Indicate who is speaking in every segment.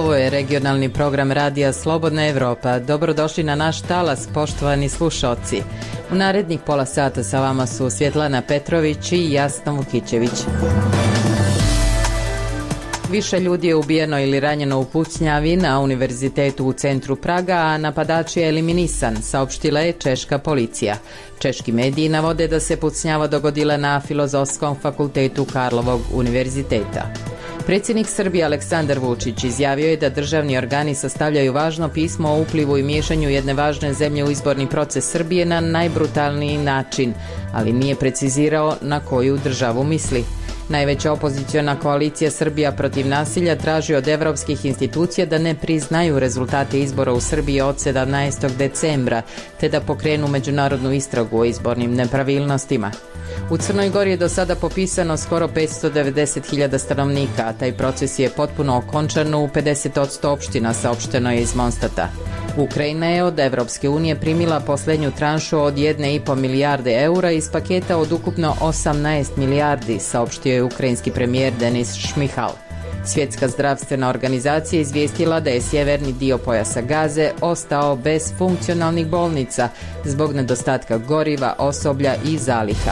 Speaker 1: Ovo je regionalni program radija Slobodna Evropa. Dobrodošli na naš talas, poštovani slušaoci. U narednih pola sata sa vama su Svjetlana Petrović i Jasna Vukićević. Više ljudi je ubijeno ili ranjeno u pucnjavi na univerzitetu u centru Praga, a napadač je eliminisan, saopštila je češka policija. Češki mediji navode da se pucnjava dogodila na Filozofskom fakultetu Karlovog univerziteta. Predsjednik Srbije Aleksandar Vučić izjavio je da državni organi sastavljaju važno pismo o uplivu i miješanju jedne važne zemlje u izborni proces Srbije na najbrutalniji način, ali nije precizirao na koju državu misli. Najveća opoziciona koalicija Srbija protiv nasilja traži od evropskih institucija da ne priznaju rezultate izbora u Srbiji od 17. decembra, te da pokrenu međunarodnu istragu o izbornim nepravilnostima. U Crnoj Gori je do sada popisano skoro 590.000 stanovnika, a taj proces je potpuno okončan u 50% opština, saopšteno je iz Monstata. Ukrajina je od Evropske unije primila posljednju tranšu od 1,5 milijarde eura iz paketa od ukupno 18 milijardi, saopštio je ukrajinski premijer Denis Šmihal. Svjetska zdravstvena organizacija izvijestila da je sjeverni dio pojasa Gaze ostao bez funkcionalnih bolnica zbog nedostatka goriva, osoblja i zaliha.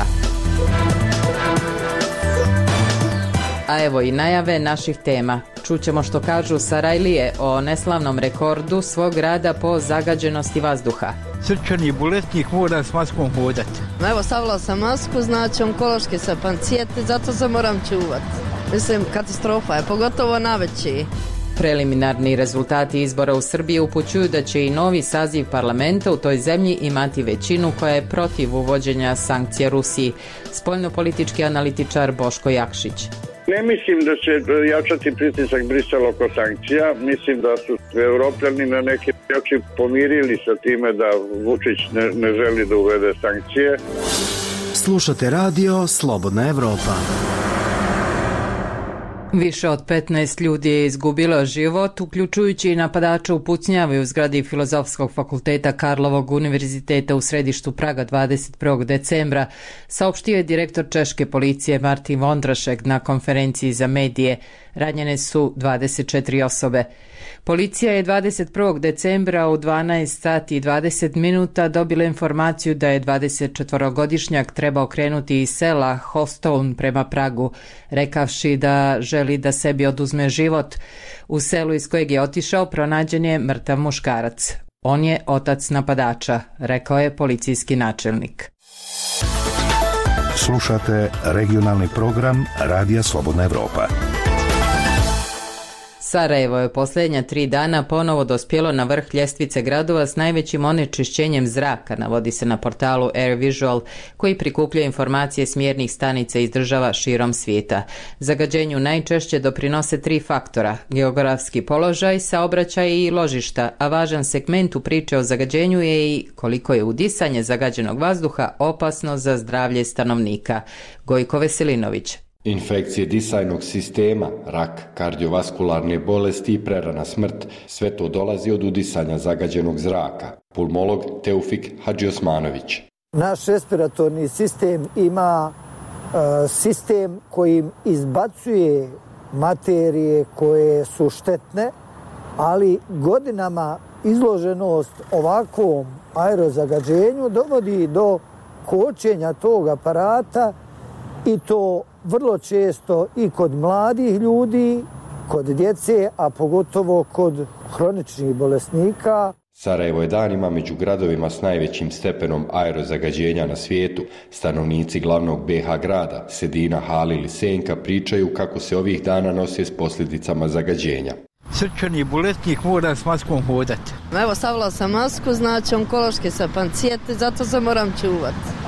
Speaker 1: A evo i najave naših tema. Čućemo što kažu Sarajlije o neslavnom rekordu svog rada po zagađenosti vazduha.
Speaker 2: Srčani bolesnik mora s maskom hodati.
Speaker 3: Evo, stavila sam masku, znači onkološki sam pacijent, zato se moram čuvati. Mislim, katastrofa je, pogotovo naveći.
Speaker 1: Preliminarni rezultati izbora u Srbiji upućuju da će i novi saziv parlamenta u toj zemlji imati većinu koja je protiv uvođenja sankcija Rusiji. Spoljnopolitički analitičar Boško Jakšić.
Speaker 4: Ne mislim da će jačati pritisak Brisela oko sankcija. Mislim da su Evropljani na neki način pomirili sa time da Vučić ne želi da uvede sankcije.
Speaker 5: Slušate radio Slobodna Evropa.
Speaker 1: Više od 15 ljudi je izgubilo život, uključujući i napadača u pucnjavi u zgradi Filozofskog fakulteta Karlovog univerziteta u središtu Praga 21. decembra, saopštio je direktor češke policije Martin Vondrašek na konferenciji za medije. Ranjene su 24 osobe. Policija je 21. decembra u 12 sati i 20 minuta dobila informaciju da je 24-godišnjak trebao krenuti iz sela Hostovn prema Pragu, rekavši da želi da sebi oduzme život. U selu iz kojeg je otišao pronađen je mrtav muškarac. On je otac napadača, rekao je policijski načelnik.
Speaker 5: Slušate regionalni program Radija Slobodna Evropa.
Speaker 1: Sarajevo je posljednja 3 dana ponovo dospjelo na vrh ljestvice gradova s najvećim onečišćenjem zraka, navodi se na portalu AirVisual, koji prikuplja informacije s mjernih stanica iz država širom svijeta. Zagađenju najčešće doprinose 3 faktora: geografski položaj, saobraćaj i ložišta, a važan segment u priče o zagađenju je i koliko je udisanje zagađenog vazduha opasno za zdravlje stanovnika. Gojko Veselinović.
Speaker 6: Infekcije disajnog sistema, rak, kardiovaskularne bolesti i prerana smrt, sve to dolazi od udisanja zagađenog zraka. Pulmolog Teufik Hadžiosmanović.
Speaker 7: Naš respiratorni sistem ima sistem kojim izbacuje materije koje su štetne, ali godinama izloženost ovakvom aerozagađenju dovodi do kočenja tog aparata, i to vrlo često i kod mladih ljudi, kod djece, a pogotovo kod hroničnih bolesnika.
Speaker 6: Sarajevo je danima među gradovima s najvećim stepenom aerozagađenja na svijetu. Stanovnici glavnog BiH grada, Sedina, Halil i Senka, pričaju kako se ovih dana nose s posljedicama zagađenja.
Speaker 2: Srčani bolesnik mora s maskom hodati.
Speaker 3: Evo, stavila sam masku, znači onkološki sam pacijent, zato se moram čuvati.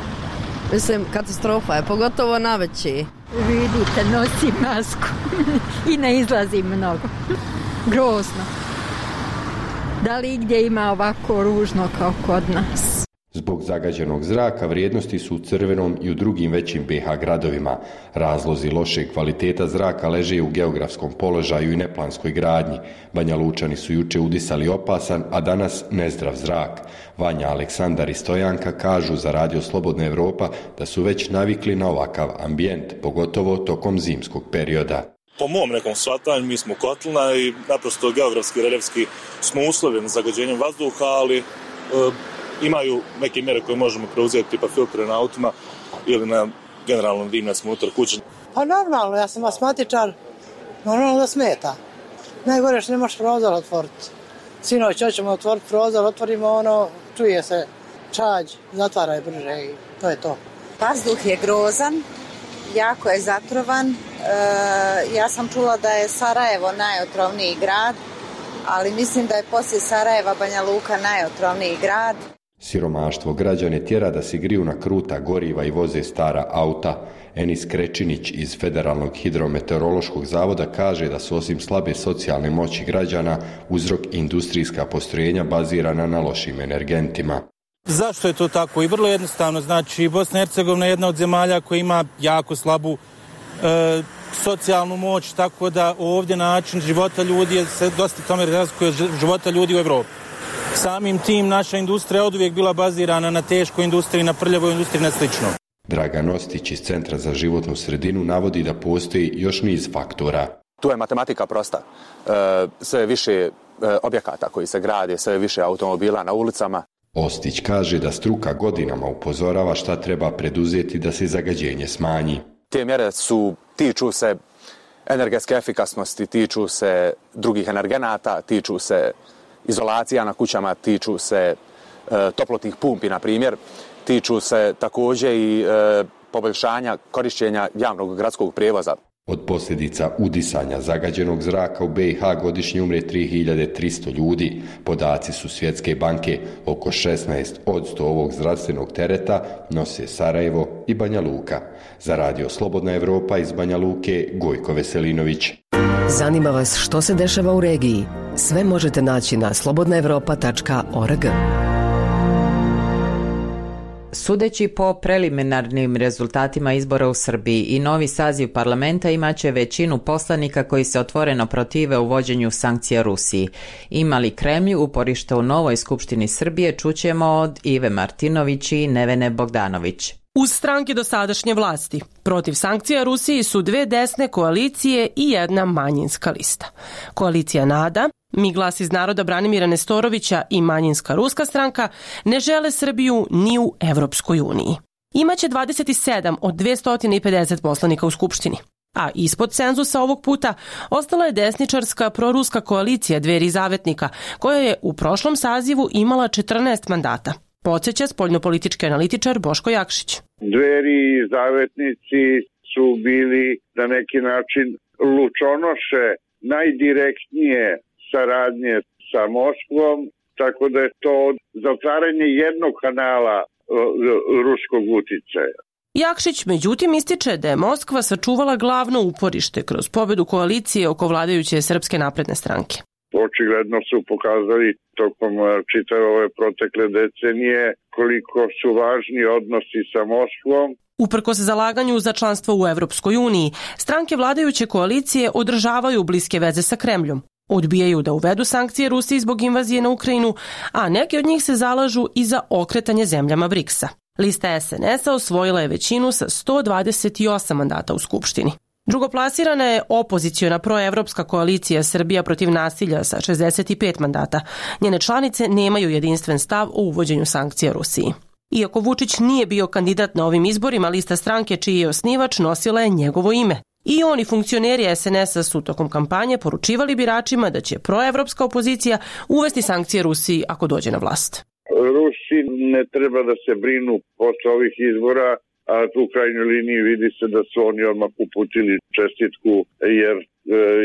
Speaker 3: Mislim, katastrofa je, pogotovo naveći.
Speaker 8: Vidite, nosim masku i ne izlazim mnogo. Grozno. Da li gdje ima ovako ružno kao kod nas?
Speaker 6: Zbog zagađenog zraka vrijednosti su u Crvenom i u drugim većim BiH gradovima. Razlozi loše kvaliteta zraka leže u geografskom položaju i neplanskoj gradnji. Banja Lučani su juče udisali opasan, a danas nezdrav zrak. Vanja, Aleksandar i Stojanka kažu za Radio Slobodna Evropa da su već navikli na ovakav ambijent, pogotovo tokom zimskog perioda.
Speaker 9: Po mom nekom shvatanju mi smo kotlina i naprosto geografski, reljefski smo uslovljeni zagađenjem vazduha, ali imaju neke mjere koje možemo preuzeti, tipa filtre na autima ili na generalnom dimnjacima unutar kuće.
Speaker 10: Pa normalno, ja sam asmatičar, normalno da smeta. Najgore što ne možeš prozor otvoriti. Sinoć hoćemo otvoriti prozor, otvorimo čuje se čađ, zatvaraj brže i to je to.
Speaker 11: Vazduh je grozan, jako je zatrovan. Ja sam čula da je Sarajevo najotrovniji grad, ali mislim da je poslije Sarajeva Banja Luka najotrovniji grad.
Speaker 6: Siromaštvo građane tjera da se griju na kruta goriva i voze stara auta. Enis Krečinić iz Federalnog hidrometeorološkog zavoda kaže da su osim slabe socijalne moći građana uzrok industrijska postrojenja bazirana na lošim energentima.
Speaker 12: Zašto je to tako? I vrlo jednostavno, znači Bosna i Hercegovina je jedna od zemalja koja ima jako slabu socijalnu moć, tako da ovdje način života ljudi se dosta tome razlikuje od života ljudi u Evropi. Samim tim naša industrija je oduvijek bila bazirana na teškoj industriji, na prljavoj industriji, na slično.
Speaker 6: Dragan Ostić iz Centra za životnu sredinu navodi da postoji još niz faktora.
Speaker 13: Tu je matematika prosta. Sve više objekata koji se grade, sve više automobila na ulicama.
Speaker 6: Ostić kaže da struka godinama upozorava šta treba preduzeti da se zagađenje smanji.
Speaker 13: Te mjere tiču se energetske efikasnosti, tiču se drugih energenata, tiču se izolacija na kućama, tiču se toplotnih pumpi, na primjer, tiču se također i poboljšanja korištenja javnog gradskog prijevoza.
Speaker 6: Od posljedica udisanja zagađenog zraka u BiH godišnje umre 3300 ljudi. Podaci su Svjetske banke. Oko 16% ovog zdravstvenog tereta nose Sarajevo i Banja Luka. Za Radio Slobodna Evropa iz Banja Luke, Gojko Veselinović.
Speaker 14: Zanima vas što se dešava u regiji? Sve možete naći na slobodnaevropa.org.
Speaker 1: Sudeći po preliminarnim rezultatima izbora u Srbiji i novi saziv parlamenta imaće većinu poslanika koji se otvoreno protive uvođenju sankcija Rusiji. Ima li Kremlj uporište u novoj Skupštini Srbije, čućemo od Ive Martinović i Nevene Bogdanović.
Speaker 15: Uz stranke dosadašnje vlasti, protiv sankcija Rusiji su dve desne koalicije i jedna manjinska lista. Koalicija NADA, Mi glas iz naroda Branimira Nestorovića i manjinska ruska stranka ne žele Srbiju ni u Evropskoj uniji. Imaće 27 od 250 poslanika u Skupštini. A ispod cenzusa ovog puta ostala je desničarska proruska koalicija Dveri i Zavetnika, koja je u prošlom sazivu imala 14 mandata. Podsjeća spoljnopolitički analitičar Boško Jakšić.
Speaker 4: Dveri i Zavetnici su bili na neki način lučonoše najdirektnije saradnje sa Moskvom, tako da je to zatvaranje jednog kanala ruskog uticaja.
Speaker 15: Jakšić međutim ističe da je Moskva sačuvala glavno uporište kroz pobedu koalicije oko vladajuće Srpske napredne stranke.
Speaker 4: Očigledno su pokazali tokom čitave ove protekle decenije koliko su važni odnosi sa Moskvom.
Speaker 15: Uprkos zalaganju za članstvo u Evropskoj uniji, stranke vladajuće koalicije održavaju bliske veze sa Kremljom. Odbijaju da uvedu sankcije Rusiji zbog invazije na Ukrajinu, a neki od njih se zalažu i za okretanje zemljama BRICS-a. Lista SNS-a osvojila je većinu sa 128 mandata u Skupštini. Drugoplasirana je opoziciona proevropska koalicija Srbija protiv nasilja sa 65 mandata. Njene članice nemaju jedinstven stav o uvođenju sankcija Rusiji. Iako Vučić nije bio kandidat na ovim izborima, lista stranke čiji je osnivač nosila je njegovo ime. I oni funkcioneri SNS-a su tokom kampanje poručivali biračima da će proevropska opozicija uvesti sankcije Rusiji ako dođe na vlast.
Speaker 4: Rusi ne treba da se brinu posle ovih izbora, a u krajnjoj liniji vidi se da su oni odmah uputili čestitku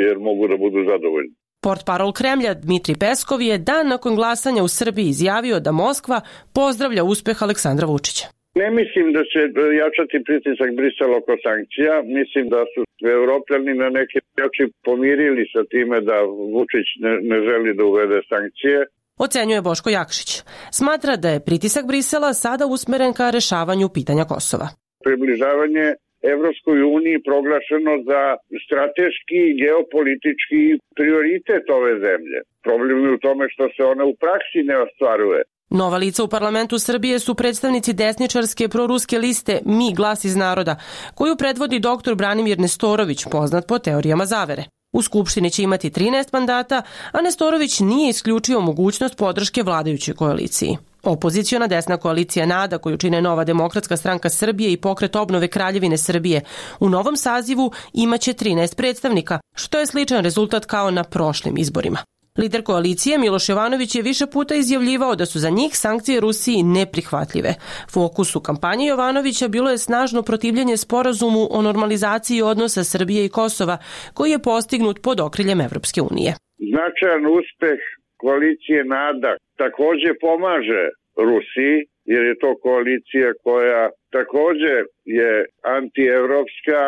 Speaker 4: jer mogu da budu zadovoljni.
Speaker 15: Portparol Kremlja Dmitri Peskov je dan nakon glasanja u Srbiji izjavio da Moskva pozdravlja uspeh Aleksandra Vučića.
Speaker 4: Ne mislim da će jačati pritisak Brisela oko sankcija. Mislim da su Evropljani na neki način pomirili sa time da Vučić ne želi da uvede sankcije.
Speaker 15: Ocenjuje Boško Jakšić. Smatra da je pritisak Brisela sada usmeren ka rešavanju pitanja Kosova.
Speaker 4: Približavanje Evropskoj uniji proglašeno za strateški i geopolitički prioritet ove zemlje. Problem je u tome što se ona u praksi ne ostvaruje.
Speaker 15: Nova lica u parlamentu Srbije su predstavnici desničarske proruske liste Mi glas iz naroda, koju predvodi dr. Branimir Nestorović, poznat po teorijama zavere. U Skupštini će imati 13 mandata, a Nestorović nije isključio mogućnost podrške vladajućoj koaliciji. Opoziciona desna koalicija NADA, koju čine Nova demokratska stranka Srbije i Pokret obnove Kraljevine Srbije, u novom sazivu imaće 13 predstavnika, što je sličan rezultat kao na prošlim izborima. Lider koalicije Miloš Jovanović je više puta izjavljivao da su za njih sankcije Rusiji neprihvatljive. Fokus u kampanji Jovanovića bilo je snažno protivljenje sporazumu o normalizaciji odnosa Srbije i Kosova, koji je postignut pod okriljem Evropske unije.
Speaker 4: Značajan uspeh koalicije NADA također pomaže Rusiji, jer je to koalicija koja također je antievropska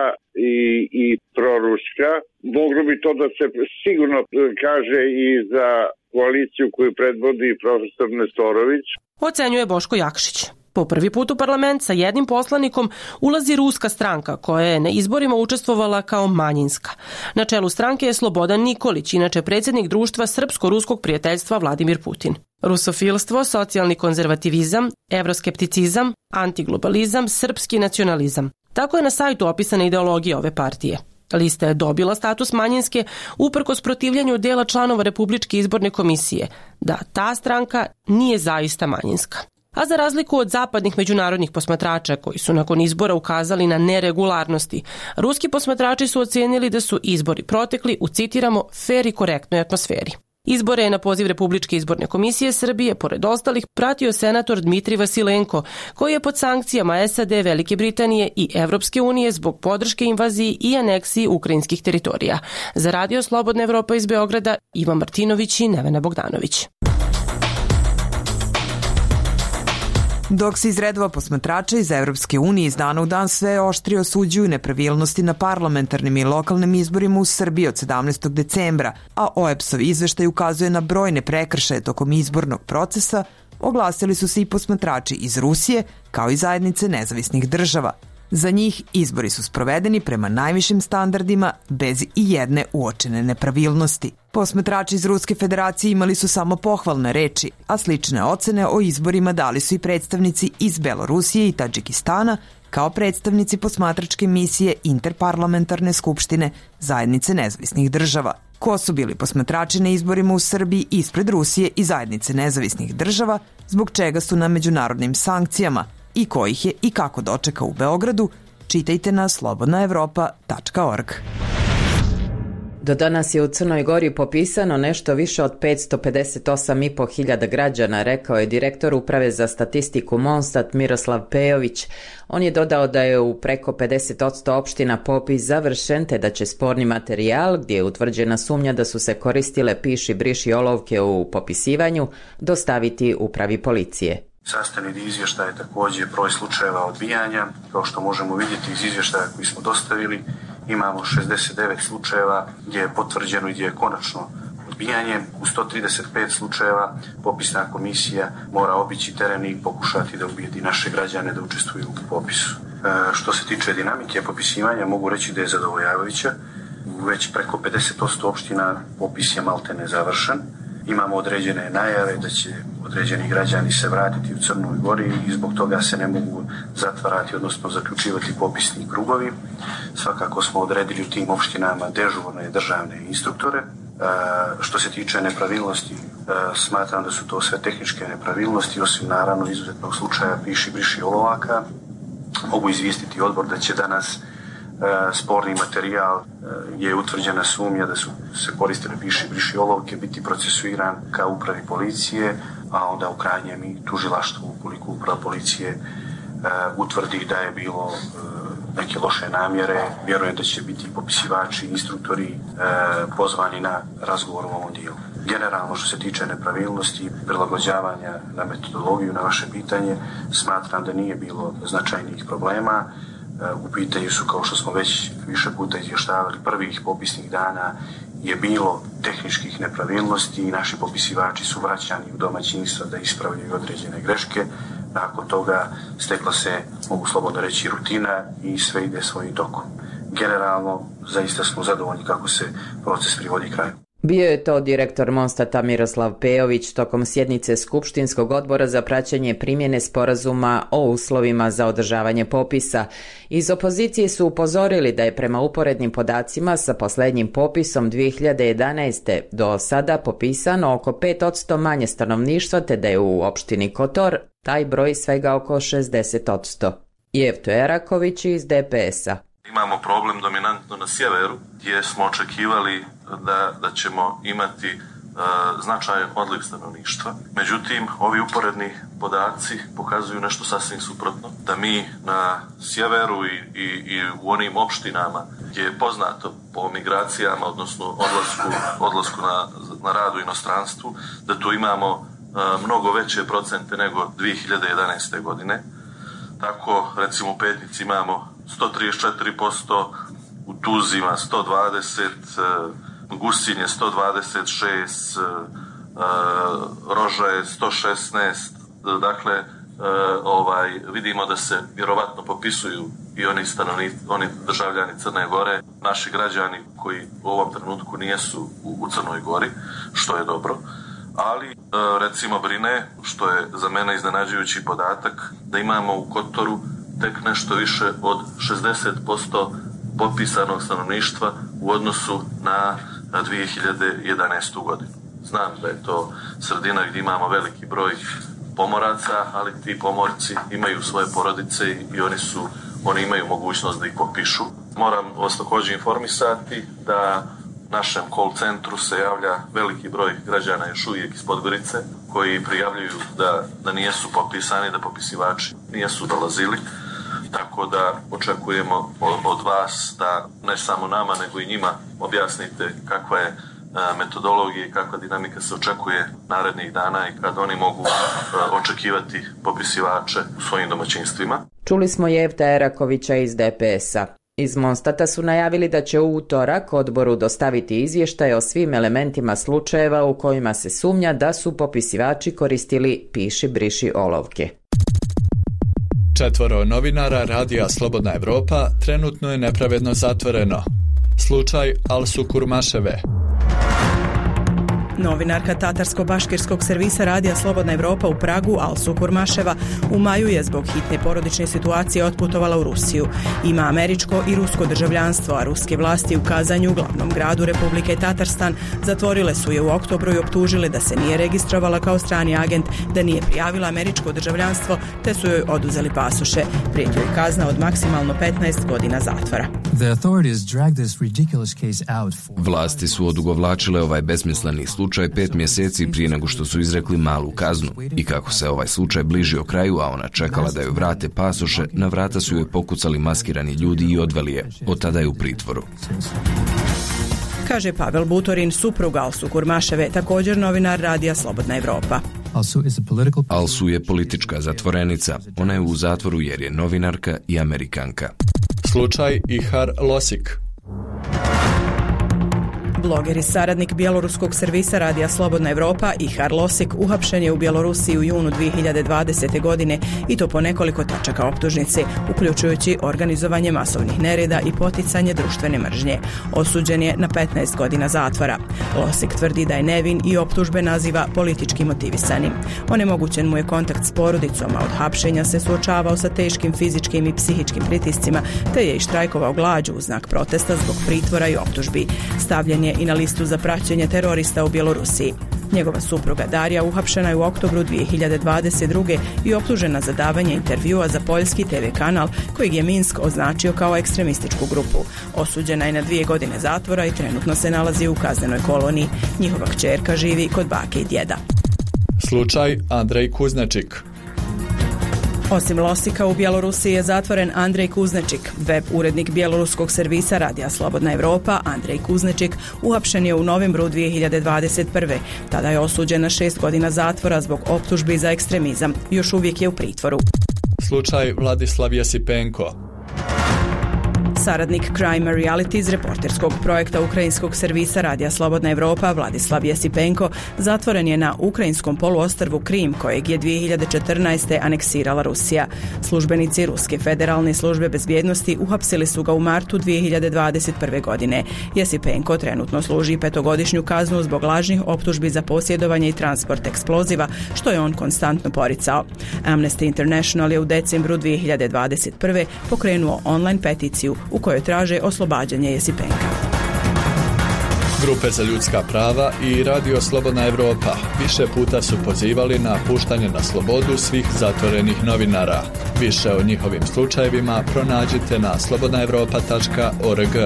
Speaker 4: i proruska. Moglo bi to da se sigurno kaže i za koaliciju koju predvodi profesor Nestorović.
Speaker 15: Ocenjuje Boško Jakšić. Po prvi put u parlament sa jednim poslanikom ulazi ruska stranka koja je na izborima učestvovala kao manjinska. Na čelu stranke je Slobodan Nikolić, inače predsjednik društva Srpsko-ruskog prijateljstva Vladimir Putin. Rusofilstvo, socijalni konzervativizam, evroskepticizam, antiglobalizam, srpski nacionalizam. Tako je na sajtu opisana ideologija ove partije. Lista je dobila status manjinske uprkos protivljenju dela članova Republičke izborne komisije, da ta stranka nije zaista manjinska. A za razliku od zapadnih međunarodnih posmatrača koji su nakon izbora ukazali na neregularnosti, ruski posmatrači su ocenili da su izbori protekli u, citiramo, fer i korektnoj atmosferi. Izbore je na poziv Republičke izborne komisije Srbije, pored ostalih, pratio senator Dmitri Vasilenko, koji je pod sankcijama SAD, Velike Britanije i Evropske unije zbog podrške invaziji i aneksiji ukrajinskih teritorija. Za Radio Slobodna Evropa iz Beograda, Ivan Martinović i Nevena Bogdanović.
Speaker 16: Dok se iz redova posmatrača iz Evropske unije iz dana u dan sve oštrije osuđuju nepravilnosti na parlamentarnim i lokalnim izborima u Srbiji od 17. decembra, a OEBS-ov izveštaj ukazuje na brojne prekršaje tokom izbornog procesa, oglasili su se i posmatrači iz Rusije, kao i zajednice nezavisnih država. Za njih izbori su sprovedeni prema najvišim standardima bez i jedne uočene nepravilnosti. Posmatrači iz Ruske federacije imali su samo pohvalne reči, a slične ocene o izborima dali su i predstavnici iz Belorusije i Tadžikistana, kao predstavnici posmatračke misije Interparlamentarne skupštine zajednice nezavisnih država. Ko su bili posmatrači na izborima u Srbiji ispred Rusije i zajednice nezavisnih država, zbog čega su na međunarodnim sankcijama, i ko ih je i kako dočeka u Beogradu, čitajte na slobodnaevropa.org.
Speaker 1: Do danas je u Crnoj Gori popisano nešto više od 558.500 građana, rekao je direktor Uprave za statistiku Monstat Miroslav Pejović. On je dodao da je u preko 50% opština popis završen, te da će sporni materijal, gdje je utvrđena sumnja da su se koristile piši briši olovke u popisivanju, dostaviti Upravi policije.
Speaker 17: Sastavni dio izvještaja je također broj slučajeva odbijanja. Kao što možemo vidjeti iz izvještaja koji smo dostavili, imamo 69 slučajeva gdje je potvrđeno i gdje je konačno odbijanje. U 135 slučajeva popisna komisija mora obići teren i pokušati da ubijedi naše građane da učestvuju u popisu. Što se tiče dinamike popisivanja, mogu reći da je zadovoljavajuća. Već preko 50% opština popis je maltene završen. Imamo određene najave da će određeni građani se vratiti u Crnoj Gori i zbog toga se ne mogu zatvarati, odnosno zaključivati popisni krugovi. Svakako smo odredili u tim opštinama dežurne državne instruktore. Što se tiče nepravilnosti, smatram da su to sve tehničke nepravilnosti, osim naravno izuzetnog slučaja piši briši olovaka. Mogu izvijestiti odbor da će danas sporni materijal je utvrđena sumnja da su se koristile piši briši olovke biti procesuiran ka Upravi policije, a onda u krajnjem i tužilaštvu ukoliko Uprava policije utvrdi da je bilo neke loše namjere. Vjerujem da će biti popisivači, instruktori pozvani na razgovor u ovom dijelu. Generalno što se tiče nepravilnosti i prilagođavanja na metodologiju na vaše pitanje, smatram da nije bilo značajnih problema. U pitanju su, kao što smo već više puta izvještavali, prvih popisnih dana je bilo tehničkih nepravilnosti i naši popisivači su vraćani u domaćinstva da ispravljaju određene greške. Nakon toga stekla se, mogu slobodno reći, rutina i sve ide svojim tokom. Generalno, zaista smo zadovoljni kako se proces privodi kraju.
Speaker 1: Bio je to direktor Monstata Miroslav Pejović tokom sjednice Skupštinskog odbora za praćenje primjene sporazuma o uslovima za održavanje popisa. Iz opozicije su upozorili da je prema uporednim podacima sa posljednjim popisom 2011. do sada popisano oko 5% manje stanovništva, te da je u opštini Kotor taj broj svega oko 60%. Jevto Eraković iz DPS-a.
Speaker 18: Imamo problem dominantno na sjeveru gdje smo očekivali da ćemo imati značajan odliv stanovništva. Međutim, ovi uporedni podaci pokazuju nešto sasvim suprotno. Da mi na sjeveru i u onim opštinama gdje je poznato po migracijama, odnosno odlasku na rad u inostranstvu, da tu imamo mnogo veće procente nego 2011. godine. Tako, recimo u Petnici imamo 134%, u Tuzima 120%, Gusinje 126%, Roža je 116%, dakle vidimo da se vjerovatno popisuju i oni državljani Crne Gore, naši građani koji u ovom trenutku nijesu u Crnoj Gori, što je dobro. Ali recimo brine, što je za mene iznenađujući podatak, da imamo u Kotoru tek nešto više od 60% popisanog stanovništva u odnosu na 2011. godinu. Znam da je to sredina gdje imamo veliki broj pomoraca, ali ti pomorci imaju svoje porodice i oni imaju mogućnost da ih popišu. Moram vas također informisati da našem call centru se javlja veliki broj građana još uvijek iz Podgorice koji prijavljuju da nijesu popisani, da popisivači nijesu dolazili. Tako da očekujemo od vas da ne samo nama nego i njima objasnite kakva je metodologija i kakva dinamika se očekuje narednih dana i kad oni mogu očekivati popisivače u svojim domaćinstvima.
Speaker 1: Čuli smo Jevta Erakovića iz DPS-a. Iz Monstata su najavili da će u utorak odboru dostaviti izvještaj o svim elementima slučajeva u kojima se sumnja da su popisivači koristili piši briši olovke.
Speaker 19: 4 novinara Radija Slobodna Evropa trenutno je nepravedno zatvoreno. Slučaj Alsu Kurmaševe.
Speaker 20: Novinarka tatarsko-baškirskog servisa Radija Slobodna Evropa u Pragu, Alsu Kurmaševa, u maju je zbog hitne porodične situacije otputovala u Rusiju. Ima američko i rusko državljanstvo, a ruske vlasti u Kazanju, glavnom gradu Republike Tatarstan, zatvorile su je u oktobru i optužile da se nije registrovala kao strani agent, da nije prijavila američko državljanstvo, te su joj oduzeli pasoše. Prijeti joj kazna od maksimalno 15 godina zatvora.
Speaker 21: Vlasti su odugovlačile ovaj besmisleni slučaj 5 mjeseci prije nego što su izrekli malu kaznu i kako se ovaj slučaj bližio kraju, a ona čekala da joj vrate pasoše, na vrata su joj pokucali maskirani ljudi i odveli je. Od tada je u pritvoru.
Speaker 20: Kaže Pavel Butorin, suprug Alsu Kurmaševe, također novinar Radija Slobodna Evropa.
Speaker 21: Alsu je politička zatvorenica. Ona je u zatvoru jer je novinarka i Amerikanka.
Speaker 19: Slučaj Ihar Losik.
Speaker 20: Bloger i saradnik bjeloruskog servisa Radija Slobodna Evropa Ihar Losik uhapšen je u Bjelorusiji u junu 2020. godine i to po nekoliko tačaka optužnice, uključujući organizovanje masovnih nereda i poticanje društvene mržnje. Osuđen je na 15 godina zatvora. Losik tvrdi da je nevin i optužbe naziva politički motivisanim. Onemogućen mu je kontakt s porodicom, a od hapšenja se suočavao sa teškim fizičkim i psihičkim pritiscima, te je i štrajkovao glađu u znak protesta zbog pritvora i optužbi. Stavljen je i na listu za praćenje terorista u Bjelorusiji. Njegova supruga Darija uhapšena je u oktobru 2022. i optužena za davanje intervjua za poljski TV kanal kojeg je Minsk označio kao ekstremističku grupu. Osuđena je na 2 godine zatvora i trenutno se nalazi u kaznenoj koloniji. Njihova kćerka živi kod bake i djeda.
Speaker 19: Slučaj Andrej Kuznačik.
Speaker 20: Osim Losika, u Bjelorusiji je zatvoren Andrej Kuznečik. Web urednik bjeloruskog servisa Radija Slobodna Evropa, Andrej Kuznečik, uhapšen je u novembru 2021. Tada je osuđen na 6 godina zatvora zbog optužbi za ekstremizam. Još uvijek je u pritvoru.
Speaker 19: Slučaj Vladislav Jasipenko.
Speaker 20: Saradnik Crime Reality iz reporterskog projekta ukrajinskog servisa Radija Slobodna Evropa Vladislav Jesipenko zatvoren je na ukrajinskom poluostrvu Krim, kojeg je 2014. aneksirala Rusija. Službenici Ruske federalne službe bezbjednosti uhapsili su ga u martu 2021. godine. Jesipenko trenutno služi 5-godišnju kaznu zbog lažnih optužbi za posjedovanje i transport eksploziva, što je on konstantno poricao. Amnesty International je u decembru 2021. pokrenuo online peticiju u kojoj traže oslobađanje Jesipenka.
Speaker 19: Grupe za ljudska prava i Radio Slobodna Evropa više puta su pozivali na puštanje na slobodu svih zatvorenih novinara. Više o njihovim slučajevima pronađite na slobodnaevropa.org.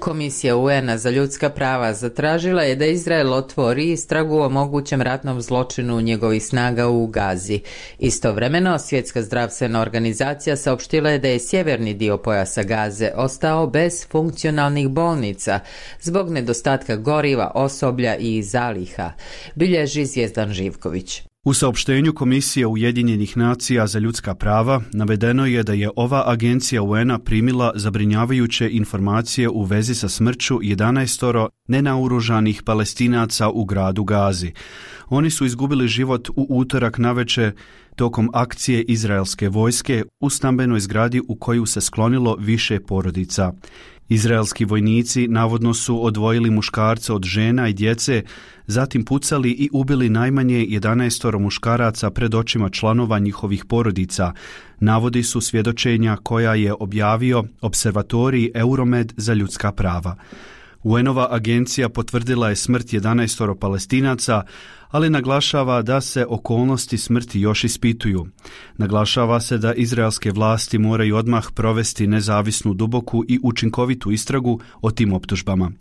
Speaker 1: Komisija UN-a za ljudska prava zatražila je da Izrael otvori istragu o mogućem ratnom zločinu njegovih snaga u Gazi. Istovremeno, Svjetska zdravstvena organizacija saopštila je da je sjeverni dio pojasa Gaze ostao bez funkcionalnih bolnica zbog nedostatka goriva, osoblja i zaliha, bilježi Zvijezdan Živković.
Speaker 5: U saopštenju Komisije Ujedinjenih nacija za ljudska prava navedeno je da je ova agencija UN-a primila zabrinjavajuće informacije u vezi sa smrću 11 nenaoružanih Palestinaca u gradu Gazi. Oni su izgubili život u utorak navečer tokom akcije izraelske vojske u stambenoj zgradi u koju se sklonilo više porodica. Izraelski vojnici navodno su odvojili muškarce od žena i djece, zatim pucali i ubili najmanje 11 muškaraca pred očima članova njihovih porodica, navodi su svjedočenja koja je objavio Observatorij Euromed za ljudska prava. UN-ova agencija potvrdila je smrt 11 Palestinaca, ali naglašava da se okolnosti smrti još ispituju. Naglašava se da izraelske vlasti moraju odmah provesti nezavisnu, duboku i učinkovitu istragu o tim optužbama.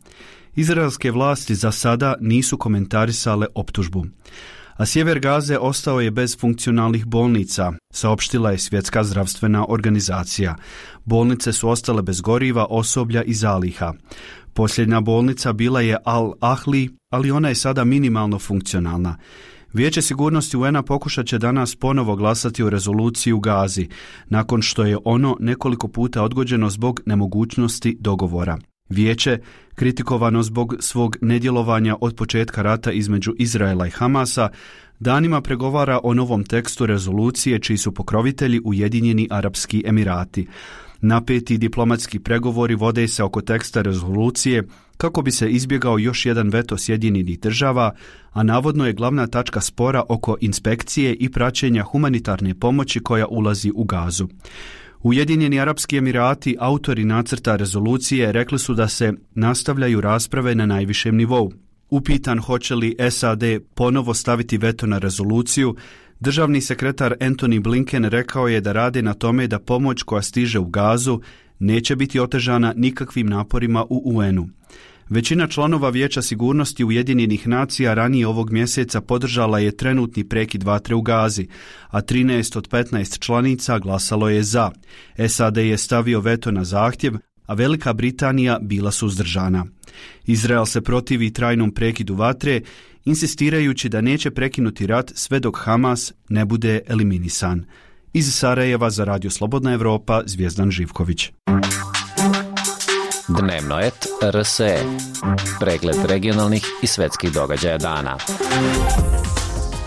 Speaker 5: Izraelske vlasti za sada nisu komentarisale optužbu. A sjever Gaze ostao je bez funkcionalnih bolnica, saopštila je Svjetska zdravstvena organizacija. Bolnice su ostale bez goriva, osoblja i zaliha. Posljednja bolnica bila je Al-Ahli, ali ona je sada minimalno funkcionalna. Vijeće sigurnosti UN-a pokušat će danas ponovo glasati o rezoluciji u Gazi, nakon što je ono nekoliko puta odgođeno zbog nemogućnosti dogovora. Vijeće, kritikovano zbog svog nedjelovanja od početka rata između Izraela i Hamasa, danima pregovara o novom tekstu rezolucije čiji su pokrovitelji Ujedinjeni Arapski Emirati. Napeti diplomatski pregovori vode se oko teksta rezolucije kako bi se izbjegao još jedan veto Sjedinjenih država, a navodno je glavna tačka spora oko inspekcije i praćenja humanitarne pomoći koja ulazi u Gazu. Ujedinjeni Arapski Emirati, autori nacrta rezolucije, rekli su da se nastavljaju rasprave na najvišem nivou. Upitan hoće li SAD ponovo staviti veto na rezoluciju, državni sekretar Antony Blinken rekao je da rade na tome da pomoć koja stiže u Gazu neće biti otežana nikakvim naporima u UN-u. Većina članova Vijeća sigurnosti Ujedinjenih nacija ranije ovog mjeseca podržala je trenutni prekid vatre u Gazi, a 13 od 15 članica glasalo je za. SAD je stavio veto na zahtjev, a Velika Britanija bila suzdržana. Izrael se protivi trajnom prekidu vatre, insistirajući da neće prekinuti rat sve dok Hamas ne bude eliminisan. Iz Sarajeva za Radio Slobodna Evropa, Zvijezdan Živković.
Speaker 22: Dnevno et RSE. Pregled regionalnih i svetskih događaja dana.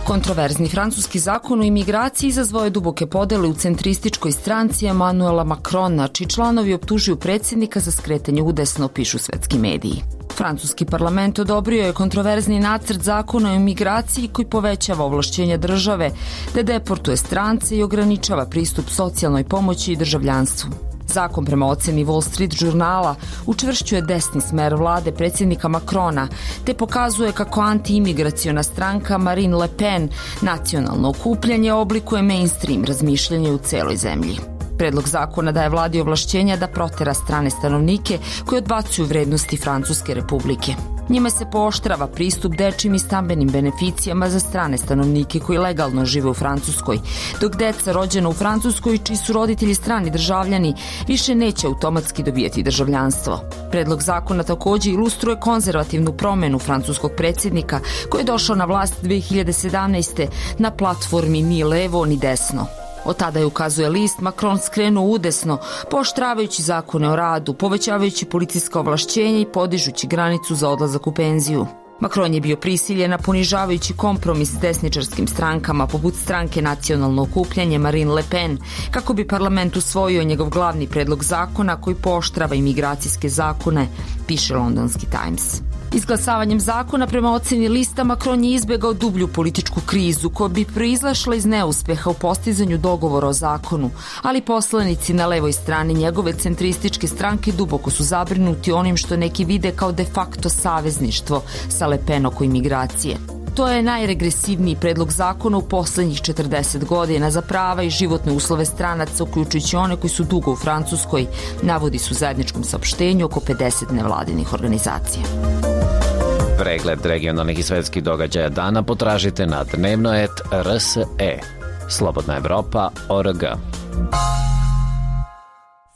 Speaker 23: Kontroverzni francuski zakon o imigraciji izazvao je duboke podele u centrističkoj stranci Emmanuela Macrona, čiji članovi optužuju predsjednika za skretanje udesno, pišu svetski mediji. Francuski parlament odobrio je kontroverzni nacrt zakona o imigraciji koji povećava ovlašćenja države da deportuje strance i ograničava pristup socijalnoj pomoći i državljanstvu. Zakon prema oceni Wall Street žurnala učvršćuje desni smer vlade predsjednika Macrona te pokazuje kako antiimigraciona stranka Marine Le Pen nacionalno okupljanje oblikuje mainstream razmišljanje u celoj zemlji. Predlog zakona daje vladi ovlašćenja da protera strane stanovnike koji odbacuju vrednosti Francuske republike. Njime se pooštrava pristup dečjim i stambenim beneficijama za strane stanovnike koji legalno žive u Francuskoj, dok deca rođena u Francuskoj čiji su roditelji strani državljani više neće automatski dobijati državljanstvo. Predlog zakona također ilustruje konzervativnu promjenu francuskog predsjednika koji je došao na vlast 2017. na platformi ni levo ni desno. Od tada je, ukazuje list, Macron skrenuo udesno, pooštravajući zakone o radu, povećavajući policijska ovlašćenja i podižući granicu za odlazak u penziju. Macron je bio prisiljen na ponižavajući kompromis s desničarskim strankama poput stranke Nacionalno okupljanje Marine Le Pen, kako bi parlament usvojio njegov glavni predlog zakona koji pooštrava imigracijske zakone, piše londonski Times. Izglasavanjem zakona, prema oceni lista, Macron je izbjegao dublju političku krizu koja bi proizlašla iz neuspeha u postizanju dogovora o zakonu, ali poslanici na levoj strani njegove centrističke stranke duboko su zabrinuti onim što neki vide kao de facto savezništvo sa Le Pen oko imigracije. To je najregresivniji predlog zakona u posljednjih 40 godina za prava i životne uslove stranaca, uključujući one koji su dugo u Francuskoj, navodi su u zajedničkom saopštenju oko 50 nevladinih organizacija.
Speaker 22: Pregled regionalnih i svetskih događaja dana potražite na dnevnoet.rse. Slobodna Evropa.org.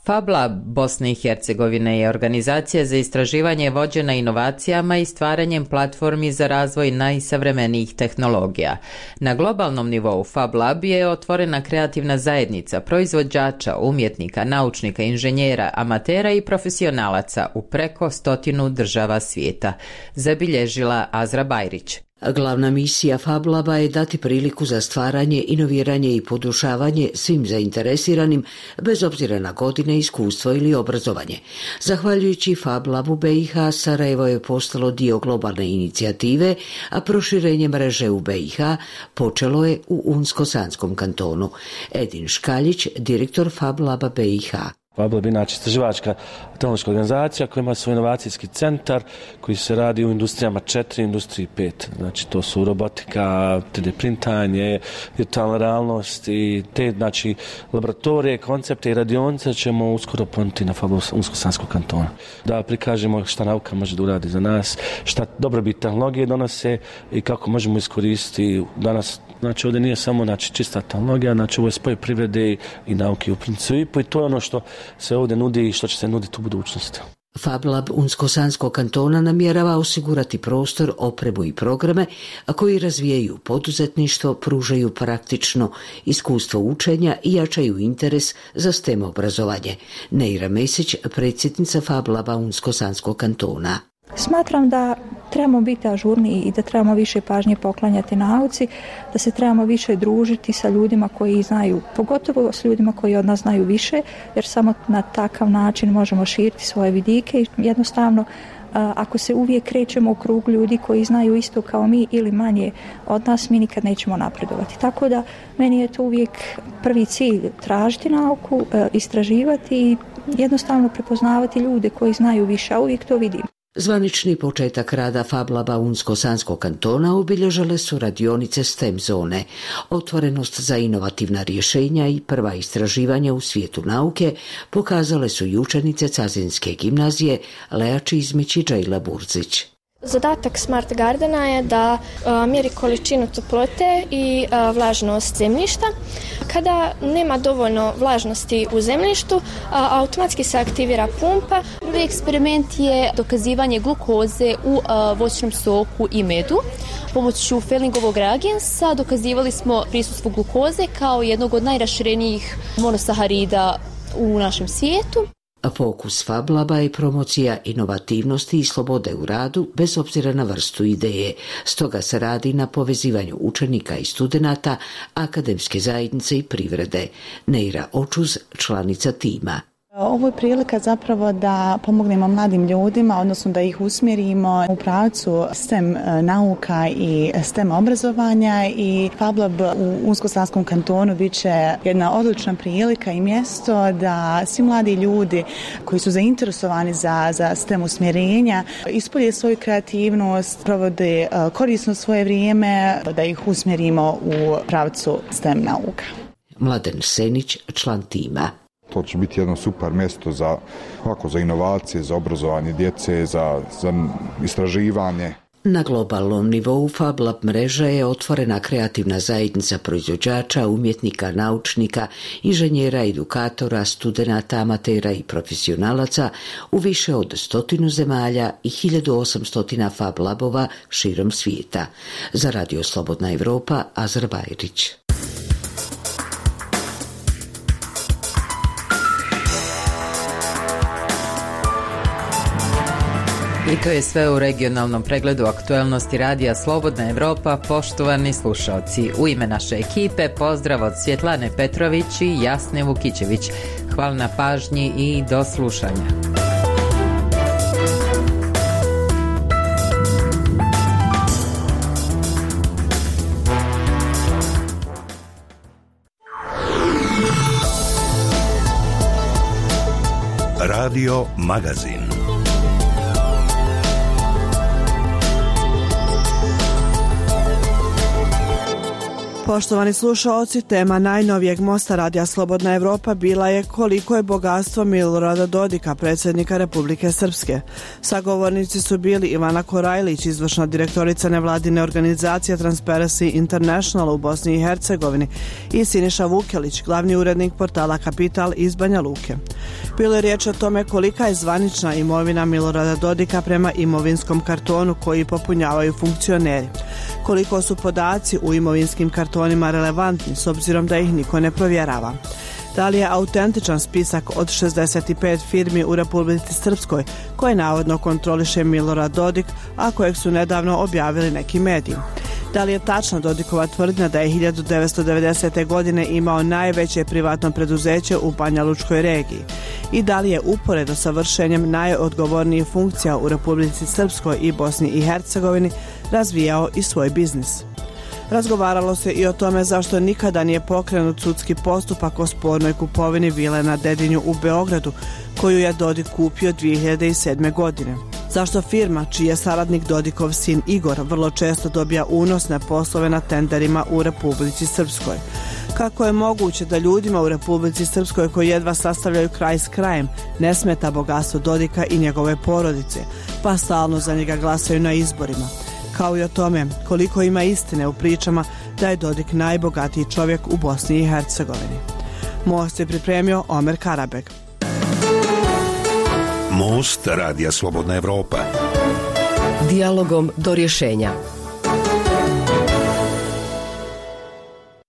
Speaker 1: Fab Lab Bosne i Hercegovine je organizacija za istraživanje vođena inovacijama i stvaranjem platformi za razvoj najsavremenijih tehnologija. Na globalnom nivou Fab Lab je otvorena kreativna zajednica proizvođača, umjetnika, naučnika, inženjera, amatera i profesionalaca u preko 100 država svijeta, zabilježila Azra Bajrić.
Speaker 2: Glavna misija Fab Laba je dati priliku za stvaranje, inoviranje i podušavanje svim zainteresiranim, bez obzira na godine, iskustvo ili obrazovanje. Zahvaljujući Fab Labu BiH, Sarajevo je postalo dio globalne inicijative, a proširenje mreže u BiH počelo je u Unsko-Sanskom kantonu. Edin Škaljić, direktor Fab Laba BiH.
Speaker 3: Fab Lab je inače istraživačka tehnološka organizacija koja ima svoj inovacijski centar koji se radi u industrijama 4, industriji 5. Znači to su robotika, 3D printanje, virtualna realnost i te laboratorije, koncepte i radionice ćemo uskoro ponuditi na Fab Labu Unsko-Sanskog kantona. Da prikažemo šta nauka može da uradi za nas, šta dobrobit tehnologije donose i kako možemo iskoristiti danas. Znači ovdje nije samo čista tehnologija, ovo je spoj privrede i nauke u principu i to je ono što se ovdje nudi i što će se nuditi u budućnosti.
Speaker 2: Fab Lab Unsko-Sanskog kantona namjerava osigurati prostor, opremu i programe, a koji razvijaju poduzetništvo, pružaju praktično iskustvo učenja i jačaju interes za STEM obrazovanje. Neira Mesić, predsjednica Fab Laba Unsko-Sanskog kantona.
Speaker 7: Smatram da trebamo biti ažurniji i da trebamo više pažnje poklanjati nauci, da se trebamo više družiti sa ljudima koji znaju, pogotovo s ljudima koji od nas znaju više, jer samo na takav način možemo širiti svoje vidike i jednostavno ako se uvijek krećemo u krug ljudi koji znaju isto kao mi ili manje od nas, mi nikad nećemo napredovati. Tako da meni je to uvijek prvi cilj, tražiti nauku, istraživati i jednostavno prepoznavati ljude koji znaju više, a uvijek to vidim.
Speaker 2: Zvanični početak rada Fab Laba Unsko-Sanskog kantona obilježale su radionice STEM zone, otvorenost za inovativna rješenja i prva istraživanja u svijetu nauke pokazale su i učenice Cazinske gimnazije Lea Čizmić i Džejla Burzić.
Speaker 24: Zadatak Smart Gardena je da mjeri količinu toplote i vlažnost zemljišta. Kada nema dovoljno vlažnosti u zemljištu, automatski se aktivira pumpa.
Speaker 25: Prvi eksperiment je dokazivanje glukoze u voćnom soku i medu. Pomoću Fellingovog reagensa dokazivali smo prisustvo glukoze kao jednog od najraširenijih monosaharida u našem svijetu.
Speaker 2: Fokus Fab Laba je promocija inovativnosti i slobode u radu bez obzira na vrstu ideje. Stoga se radi na povezivanju učenika i studenata, akademske zajednice i privrede. Neira Očuz, članica tima.
Speaker 26: Ovo je prilika zapravo da pomognemo mladim ljudima, odnosno da ih usmjerimo u pravcu STEM nauka i STEM obrazovanja i Fab Lab u Unsko-Sanskom kantonu bit će jedna odlična prilika i mjesto da svi mladi ljudi koji su zainteresovani za STEM usmjerenja ispolje svoju kreativnost, provode korisno svoje vrijeme, da ih usmjerimo u pravcu STEM nauka.
Speaker 2: Mladen Senić, član tima.
Speaker 27: To će biti jedno super mjesto za inovacije, za obrazovanje djece, za istraživanje.
Speaker 2: Na globalnom nivou Fab Lab mreža je otvorena kreativna zajednica proizvođača, umjetnika, naučnika, inženjera, edukatora, studenata, amatera i profesionalaca u više od 100 zemalja i 1800 Fab Labova širom svijeta. Za Radio Slobodna Evropa, Azra Bajrić.
Speaker 1: I to je sve u regionalnom pregledu aktuelnosti radija Slobodna Evropa. Poštovani slušalci, u ime naše ekipe pozdrav od Svjetlane Petrović i Jasne Vukićević. Hvala na pažnji i do slušanja.
Speaker 6: Radio Magazin.
Speaker 8: Poštovani slušaoci, tema najnovijeg mosta Radija Slobodna Evropa bila je koliko je bogatstvo Milorada Dodika, predsjednika Republike Srpske. Sagovornici su bili Ivana Korajlić, izvršna direktorica nevladine organizacije Transparency International u Bosni i Hercegovini, i Siniša Vukelić, glavni urednik portala Kapital iz Banja Luke. Bilo je riječ o tome kolika je zvanična imovina Milorada Dodika prema imovinskom kartonu koji popunjavaju funkcioneri. Koliko su podaci u imovinskim kartonima relevantni s obzirom da ih niko ne provjerava. Da li je autentičan spisak od 65 firmi u Republici Srpskoj koje navodno kontroliše Milorad Dodik, a kojeg su nedavno objavili neki mediji? Da li je tačna Dodikova tvrdnja da je 1990. godine imao najveće privatno preduzeće u Banja Lučkoj regiji? I da li je uporedo sa vršenjem najodgovornijih funkcija u Republici Srpskoj i Bosni i Hercegovini razvijao i svoj biznis? Razgovaralo se i o tome zašto nikada nije pokrenut sudski postupak o spornoj kupovini vile na Dedinju u Beogradu, koju je Dodik kupio 2007. godine. Zašto firma, čiji je saradnik Dodikov sin Igor, vrlo često dobija unosne poslove na tenderima u Republici Srpskoj? Kako je moguće da ljudima u Republici Srpskoj koji jedva sastavljaju kraj s krajem ne smeta bogatstvo Dodika i njegove porodice, pa stalno za njega glasaju na izborima? Kao i o tome koliko ima istine u pričama da je Dodik najbogatiji čovjek u Bosni i Hercegovini. Most je pripremio Omer Karabeg.
Speaker 6: Most Radija Slobodna Evropa.
Speaker 14: Dijalogom do rješenja.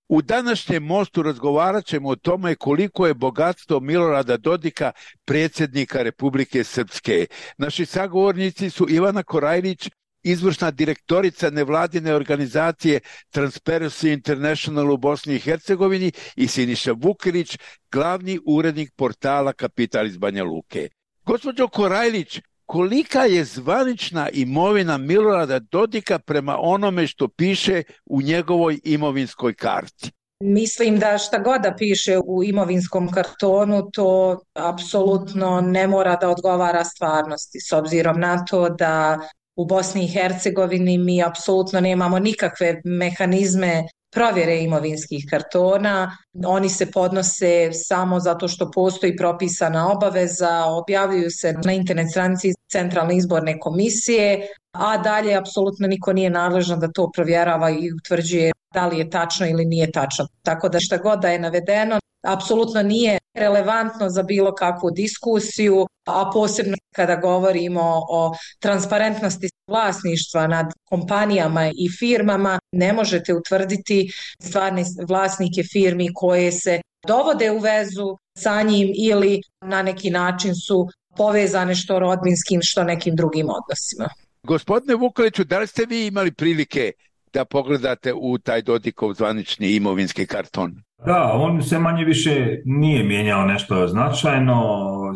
Speaker 9: U današnjem mostu razgovarat ćemo o tome koliko je bogatstvo Milorada Dodika, predsjednika Republike Srpske. Naši sagovornici su Ivana Korajlić, izvršna direktorica nevladine organizacije Transparency International u Bosni i Hercegovini, i Siniša Vukelić, glavni urednik portala Kapital iz Banja Luke. Gospođo Korajlić, kolika je zvanična imovina Milorada Dodika prema onome što piše u njegovoj imovinskoj karti?
Speaker 10: Mislim da šta god da piše u imovinskom kartonu, to apsolutno ne mora da odgovara stvarnosti, s obzirom na to da u Bosni i Hercegovini mi apsolutno nemamo nikakve mehanizme provjere imovinskih kartona. Oni se podnose samo zato što postoji propisana obaveza, objavljuju se na internet stranici Centralne izborne komisije, a dalje apsolutno niko nije nadležan da to provjerava i utvrđuje da li je tačno ili nije tačno. Tako da šta god da je navedeno, apsolutno nije relevantno za bilo kakvu diskusiju, a posebno kada govorimo o transparentnosti vlasništva nad kompanijama i firmama, ne možete utvrditi stvarne vlasnike firmi koje se dovode u vezu sa njim ili na neki način su povezane što rodbinskim, što nekim drugim odnosima.
Speaker 9: Gospodine Vukeliću, da li ste vi imali prilike da pogledate u taj Dodikov zvanični imovinski karton?
Speaker 11: Da, on se manje više nije mijenjao nešto značajno.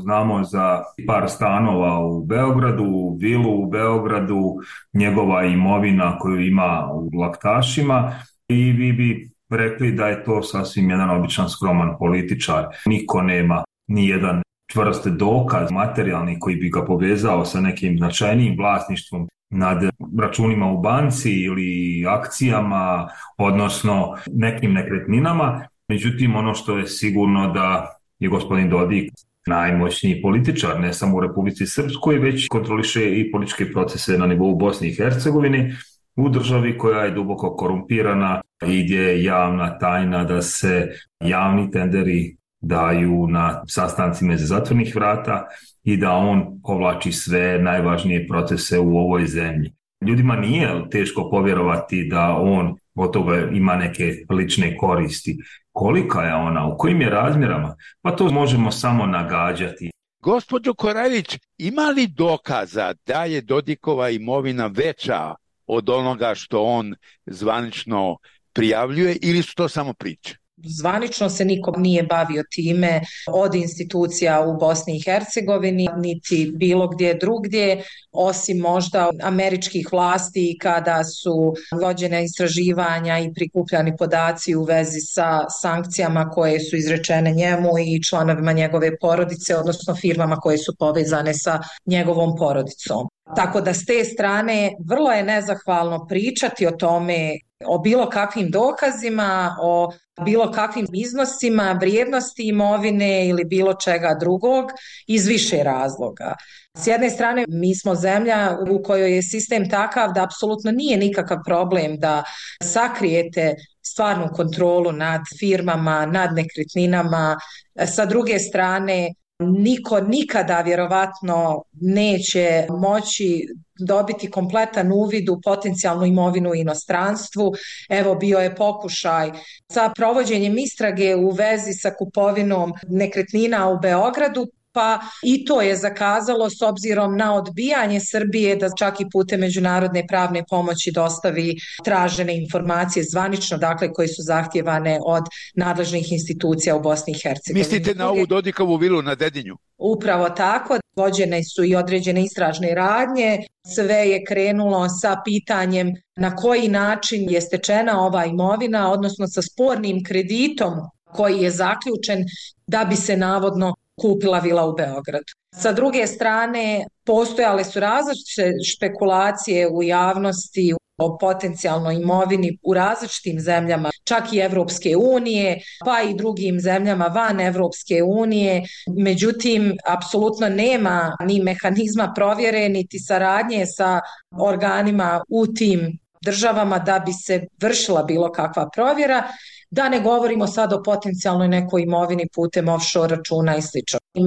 Speaker 11: Znamo za par stanova u Beogradu, vilu u Beogradu, njegova imovina koju ima u Laktašima, i vi bi rekli da je to sasvim jedan običan skroman političar. Niko nema ni jedan čvrst dokaz materijalni koji bi ga povezao sa nekim značajnijim vlasništvom nad računima u banci ili akcijama, odnosno nekim nekretninama. Međutim, ono što je sigurno da je gospodin Dodik najmoćniji političar, ne samo u Republici Srpskoj, već kontroliše i političke procese na nivou Bosne i Hercegovine, u državi koja je duboko korumpirana i gdje je javna tajna da se javni tenderi daju na sastancima iza zatvornih vrata i da on povlači sve najvažnije procese u ovoj zemlji. Ljudima nije teško povjerovati da on od toga ima neke lične koristi. Kolika je ona, u kojim je razmjerama? Pa to možemo samo nagađati.
Speaker 9: Gospođo Korajlić, ima li dokaza da je Dodikova imovina veća od onoga što on zvanično prijavljuje ili su to samo priče?
Speaker 10: Zvanično se niko nije bavio time od institucija u Bosni i Hercegovini, niti bilo gdje drugdje, osim možda američkih vlasti kada su vođena istraživanja i prikupljani podaci u vezi sa sankcijama koje su izrečene njemu i članovima njegove porodice, odnosno firmama koje su povezane sa njegovom porodicom. Tako da s te strane vrlo je nezahvalno pričati o tome, o bilo kakvim dokazima, o bilo kakvim iznosima, vrijednosti imovine ili bilo čega drugog iz više razloga. S jedne strane, mi smo zemlja u kojoj je sistem takav da apsolutno nije nikakav problem da sakrijete stvarnu kontrolu nad firmama, nad nekretninama. Sa druge strane, niko nikada vjerovatno neće moći dobiti kompletan uvid u potencijalnu imovinu u inostranstvu. Evo, bio je pokušaj sa provođenjem istrage u vezi sa kupovinom nekretnina u Beogradu, pa i to je zakazalo s obzirom na odbijanje Srbije da čak i putem međunarodne pravne pomoći dostavi tražene informacije zvanično, dakle koje su zahtjevane od nadležnih institucija u Bosni i Hercegovini.
Speaker 9: Mislite na ovu Dodikovu vilu na Dedinju?
Speaker 10: Upravo tako, vođene su i određene istražne radnje, sve je krenulo sa pitanjem na koji način je stečena ova imovina, odnosno sa spornim kreditom koji je zaključen da bi se navodno kupila vila u Beogradu. Sa druge strane, postojale su različite špekulacije u javnosti o potencijalnoj imovini u različitim zemljama, čak i Evropske unije, pa i drugim zemljama van Evropske unije. Međutim, apsolutno nema ni mehanizma provjere, niti saradnje sa organima u tim državama da bi se vršila bilo kakva provjera. Da ne govorimo sad o potencijalnoj nekoj imovini putem offshore računa i sl.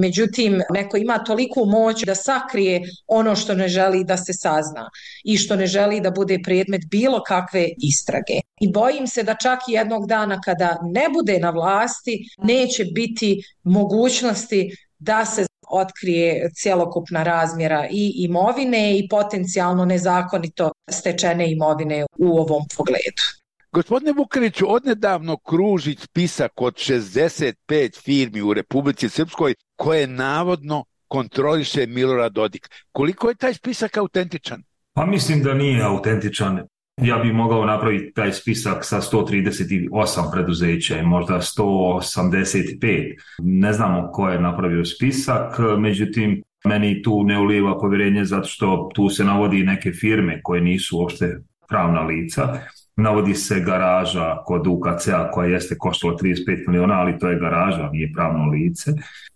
Speaker 10: Međutim, neko ima toliku moć da sakrije ono što ne želi da se sazna i što ne želi da bude predmet bilo kakve istrage. I bojim se da čak i jednog dana kada ne bude na vlasti, neće biti mogućnosti da se otkrije cjelokupna razmjera i imovine i potencijalno nezakonito stečene imovine u ovom pogledu.
Speaker 9: Gospodine Vukeliću, odnedavno kruži spisak od 65 firmi u Republici Srpskoj koje navodno kontroliše Milorad Dodik. Koliko je taj spisak autentičan?
Speaker 11: Pa mislim da nije autentičan. Ja bih mogao napraviti taj spisak sa 138 preduzeća i možda 185. Ne znamo ko je napravio spisak, međutim, meni tu ne ulijeva povjerenje zato što tu se navodi neke firme koje nisu uopšte pravna lica. Navodi se garaža kod UKC-a koja jeste koštala 35 miliona, ali to je garaža, nije pravno lice.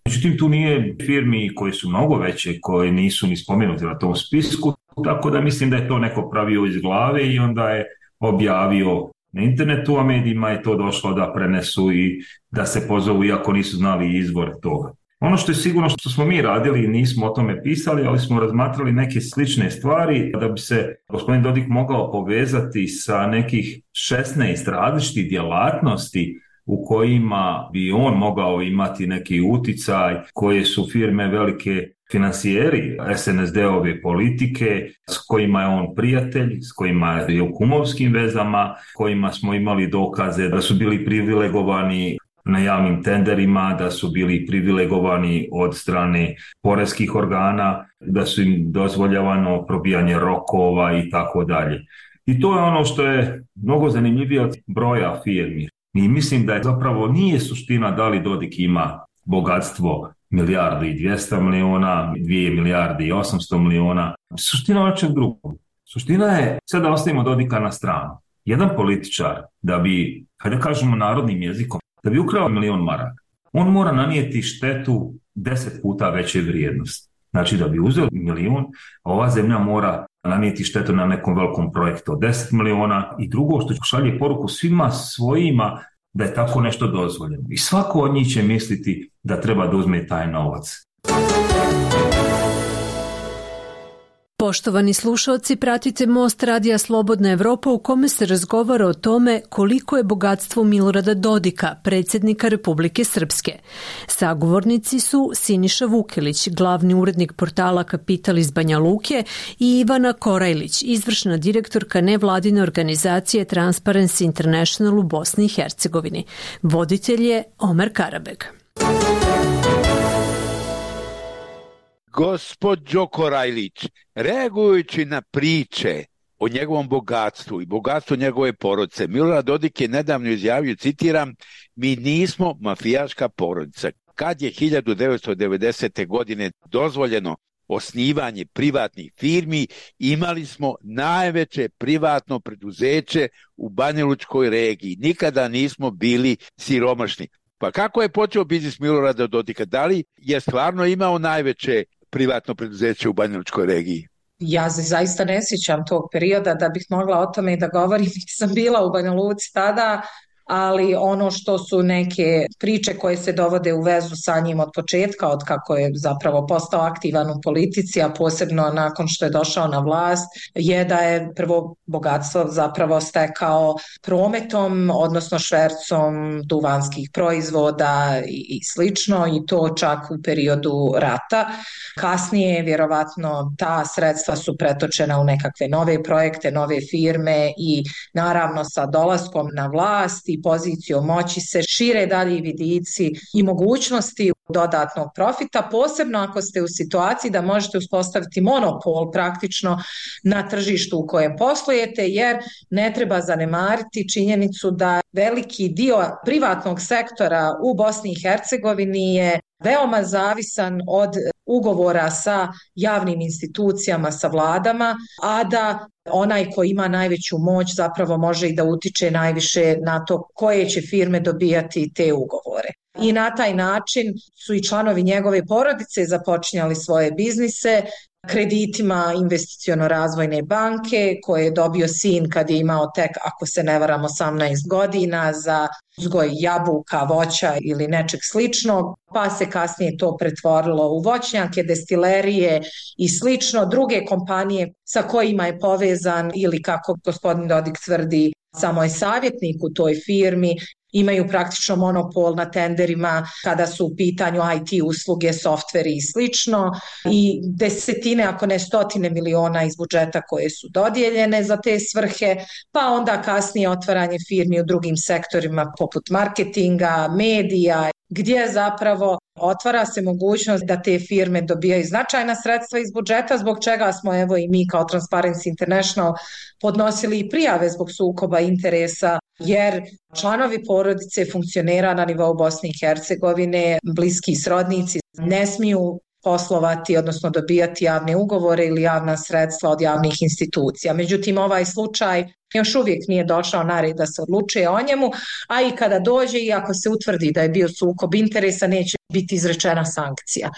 Speaker 11: Međutim, tu nije firmi koje su mnogo veće, koje nisu ni spomenuti na tom spisku, tako da mislim da je to neko pravio iz glave i onda je objavio na internetu, a medijima je to došlo da prenesu i da se pozovu iako nisu znali izvor toga. Ono što je sigurno što smo mi radili, nismo o tome pisali, ali smo razmatrali neke slične stvari da bi se gospodin Dodik mogao povezati sa nekih 16 različitih djelatnosti u kojima bi on mogao imati neki uticaj, koje su firme velike financijeri SNSD-ove politike, s kojima je on prijatelj, s kojima je u kumovskim vezama, kojima smo imali dokaze da su bili privilegovani na javnim tenderima, da su bili privilegovani od strane poreskih organa, da su im dozvoljavano probijanje rokova i tako dalje. I to je ono što je mnogo zanimljivije od broja firmi. I mislim da je zapravo nije suština da li Dodik ima bogatstvo 1,2 milijarde, 2 milijarde i 800 miliona. Suština je čeg drugog. Suština je, sad da ostavimo Dodika na stranu. Jedan političar da bi, hajde kažemo narodnim jezikom, da bi ukrao 1.000.000 maraka, on mora nanijeti štetu 10 puta veće vrijednosti. Znači da bi uzeo 1.000.000, ova zemlja mora nanijeti štetu na nekom velikom projektu od 10 miliona i drugo što šalje poruku svima svojima da je tako nešto dozvoljeno. I svako od njih će misliti da treba da uzme taj novac.
Speaker 4: Poštovani slušalci, pratite Most Radija Slobodna Evropa u kome se razgovara o tome koliko je bogatstvo Milorada Dodika, predsjednika Republike Srpske. Sagovornici su Siniša Vukelić, glavni urednik portala Kapital iz Banja Luke, i Ivana Korajlić, izvršna direktorka nevladine organizacije Transparency International u Bosni i Hercegovini. Voditelj je Omer Karabeg.
Speaker 9: Gospođo Korajlić, reagujući na priče o njegovom bogatstvu i bogatstvu njegove porodice, Milorad Dodik je nedavno izjavio, citiram, mi nismo mafijaška porodica. Kad je 1990. godine dozvoljeno osnivanje privatnih firmi, imali smo najveće privatno preduzeće u Banjalučkoj regiji. Nikada nismo bili siromašni. Pa kako je počeo biznis Milorada Dodika? Da li je stvarno imao najveće privatno preduzeće u Banjalučkoj regiji?
Speaker 10: Ja se zaista ne sjećam tog perioda da bih mogla o tome i da govorim. Nisam bila u Banja Luci tada, ali ono što su neke priče koje se dovode u vezu sa njim od početka, od kako je zapravo postao aktivan u politici, a posebno nakon što je došao na vlast, je da je prvo bogatstvo zapravo stekao prometom, odnosno švercom duvanskih proizvoda i slično, i to čak u periodu rata. Kasnije, vjerovatno, ta sredstva su pretočena u nekakve nove projekte, nove firme i naravno sa dolaskom na vlast i pozicijom moći se šire dalji vidici i mogućnosti dodatnog profita, posebno ako ste u situaciji da možete uspostaviti monopol praktično na tržištu u kojem poslujete, jer ne treba zanemariti činjenicu da veliki dio privatnog sektora u Bosni i Hercegovini je veoma zavisan od ugovora sa javnim institucijama, sa vladama, a da onaj ko ima najveću moć zapravo može i da utiče najviše na to koje će firme dobijati te ugovore. I na taj način su i članovi njegove porodice započinjali svoje biznise kreditima investiciono-razvojne banke koje je dobio sin kad je imao tek, ako se ne varam, 18 godina za uzgoj jabuka, voća ili nečeg sličnog, pa se kasnije to pretvorilo u voćnjake, destilerije i slično. Druge kompanije sa kojima je povezan ili, kako gospodin Dodik tvrdi, samo je savjetnik u toj firmi, imaju praktično monopol na tenderima kada su u pitanju IT usluge, softveri i slično, i desetine, ako ne stotine miliona iz budžeta koje su dodijeljene za te svrhe, pa onda kasnije otvaranje firmi u drugim sektorima poput marketinga, medija, gdje zapravo otvara se mogućnost da te firme dobijaju značajna sredstva iz budžeta, zbog čega smo evo i mi kao Transparency International podnosili i prijave zbog sukoba interesa, jer članovi porodice funkcionera na nivou Bosne i Hercegovine, bliski srodnici, ne smiju poslovati, odnosno dobijati javne ugovore ili javna sredstva od javnih institucija. Međutim, ovaj slučaj još uvijek nije došao na red da se odlučuje o njemu, a i kada dođe i ako se utvrdi da je bio sukob interesa, neće biti izrečena sankcija.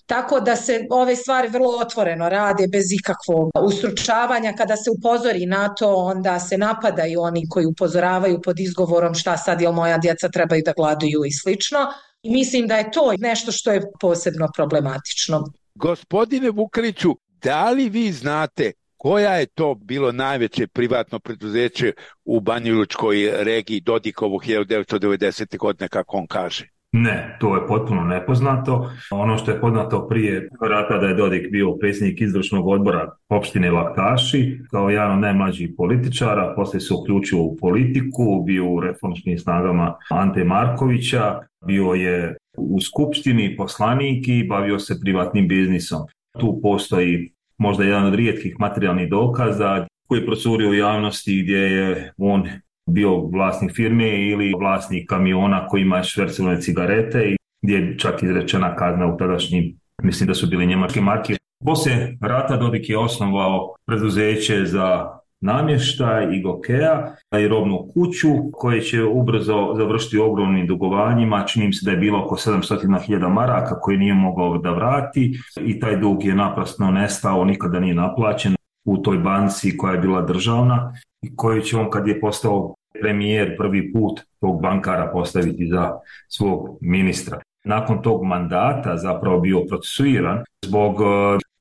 Speaker 10: Tako da se ove stvari vrlo otvoreno rade, bez ikakvog ustručavanja. Kada se upozori na to, onda se napadaju oni koji upozoravaju pod izgovorom šta sad, jel moja djeca trebaju da gladuju i slično. I mislim da je to nešto što je posebno problematično.
Speaker 9: Gospodine Vukeliću, da li vi znate koja je to bilo najveće privatno preduzeće u Banjalučkoj regiji Dodikovog 1990. godine, kako on kaže?
Speaker 11: Ne, to je potpuno nepoznato. Ono što je poznato prije rata da je Dodik bio predsjednik izvršnog odbora opštine Laktaši kao jedan od najmlađih političara, poslije se uključio u politiku, bio u reformskim snagama Ante Markovića, bio je u skupštini poslanik i bavio se privatnim biznisom. Tu postoji možda jedan od rijetkih materijalnih dokaza koji je procurio u javnosti gdje je on bio vlasnik firme ili vlasnik kamiona koji ima švercovane cigarete i gdje je čak izrečena kazna u tadašnjim, mislim da su bili njemačke marke. Poslije rata Dodik je osnovao preduzeće za namještaj i Gokea i robnu kuću koje će ubrzo završiti ogromnim dugovanjima. Čini mi se da je bilo oko 700.000 maraka koje nije mogao da vrati i taj dug je naprasno nestao, nikada nije naplaćen u toj banci koja je bila državna i koju će on, kad je postao premijer, prvi put tog bankara postaviti za svog ministra. Nakon tog mandata zapravo bio procesuiran zbog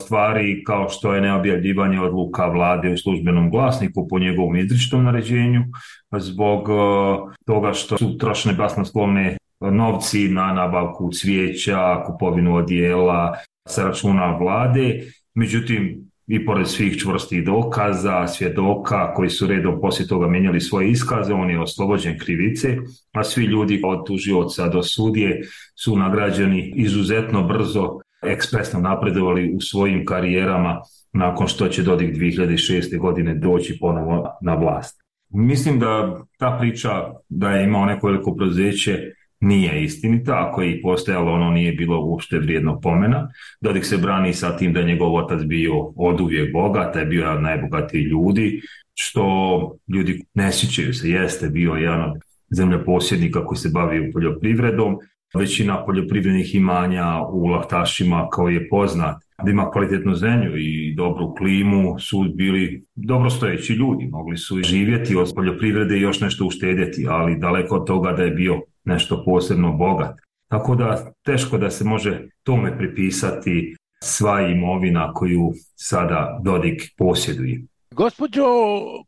Speaker 11: stvari kao što je neobjavljivanje odluka vlade u službenom glasniku po njegovom izričitom naređenju, zbog toga što su trošene basnoslovne novci na nabavku cvijeća, kupovinu odijela sa računa vlade. Međutim, i pored svih čvrstih dokaza, svjedoka koji su redom poslije toga mijenjali svoje iskaze, on je oslobođen krivice, a svi ljudi od tužioca do sudije su nagrađeni izuzetno brzo, ekspresno napredovali u svojim karijerama nakon što će Dodik 2006. godine doći ponovo na vlast. Mislim da ta priča da je imao neko veliko preduzeće nije istinita, ako je i postojalo, ono nije bilo uopšte vrijedno pomena. Dodik se brani sa tim da je njegov otac bio oduvijek bogat, je bio jedan od najbogatijih ljudi, što ljudi ne sjećaju se, jeste bio jedan od zemljoposjednika koji se bavio poljoprivredom. Većina poljoprivrednih imanja u Lahtašima, kao je poznat, da ima kvalitetnu zemlju i dobru klimu, su bili dobrostojeći ljudi, mogli su živjeti od poljoprivrede i još nešto uštedjeti, ali daleko od toga da je bio nešto posebno bogat. Tako da teško da se može tome pripisati sva imovina koju sada Dodik posjeduje.
Speaker 9: Gospođo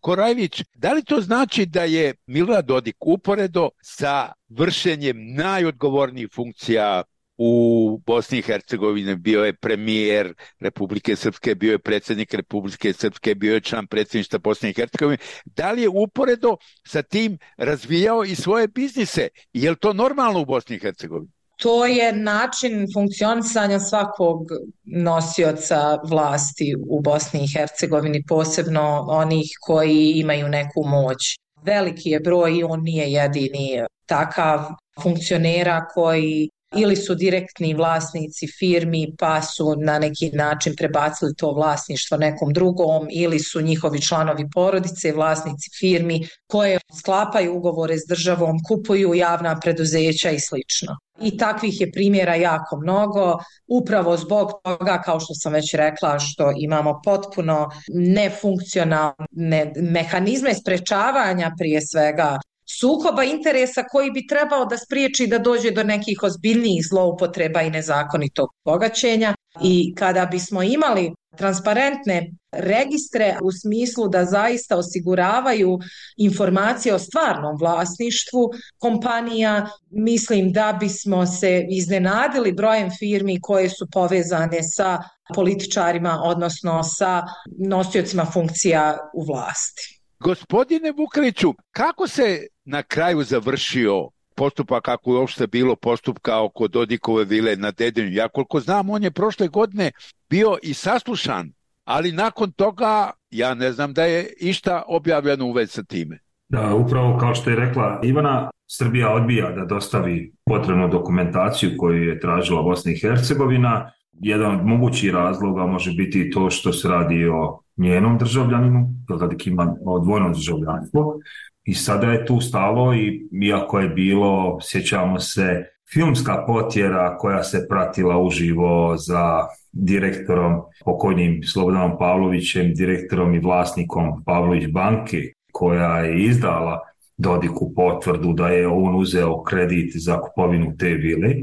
Speaker 9: Korajlić, da li to znači da je Milorad Dodik uporedo sa vršenjem najodgovornijih funkcija u Bosni i Hercegovini, bio je premijer Republike Srpske, bio je predsjednik Republike Srpske, bio je član predsjedništva Bosne i Hercegovine, da li je uporedo sa tim razvijao i svoje biznise? Je li to normalno u Bosni i Hercegovini?
Speaker 10: To je način funkcionisanja svakog nosioca vlasti u Bosni i Hercegovini, posebno onih koji imaju neku moć. Veliki je broj i on nije jedini takav funkcionera koji ili su direktni vlasnici firmi pa su na neki način prebacili to vlasništvo nekom drugom, ili su njihovi članovi porodice vlasnici firmi koje sklapaju ugovore s državom, kupuju javna preduzeća i slično. I takvih je primjera jako mnogo, upravo zbog toga, kao što sam već rekla, što imamo potpuno nefunkcionalne mehanizme sprečavanja prije svega sukoba interesa koji bi trebao da spriječi da dođe do nekih ozbiljnijih zloupotreba i nezakonitog bogaćenja. I kada bismo imali transparentne registre u smislu da zaista osiguravaju informacije o stvarnom vlasništvu kompanija, mislim da bismo se iznenadili brojem firmi koje su povezane sa političarima, odnosno sa nosiocima funkcija u vlasti.
Speaker 9: Gospodine Vukeliću, kako se na kraju završio postupak, kako je uopšte bilo postupka oko Dodikove vile na Dedinju? Ja koliko znam, on je prošle godine bio i saslušan, ali nakon toga ja ne znam da je išta objavljeno u vezi sa time.
Speaker 11: Da, upravo kao što je rekla Ivana, Srbija odbija da dostavi potrebnu dokumentaciju koju je tražila Bosna i Hercegovina. Jedan od mogućih razloga može biti to što se radi o njenom državljaninu, Dodik ima dvojno državljanstvo i sada je tu stalo, i iako je bilo, sjećamo se, filmska potjera koja se pratila uživo za direktorom, pokojnim Slobodanom Pavlovićem, direktorom i vlasnikom Pavlović banke, koja je izdala Dodiku potvrdu da je on uzeo kredit za kupovinu te vile.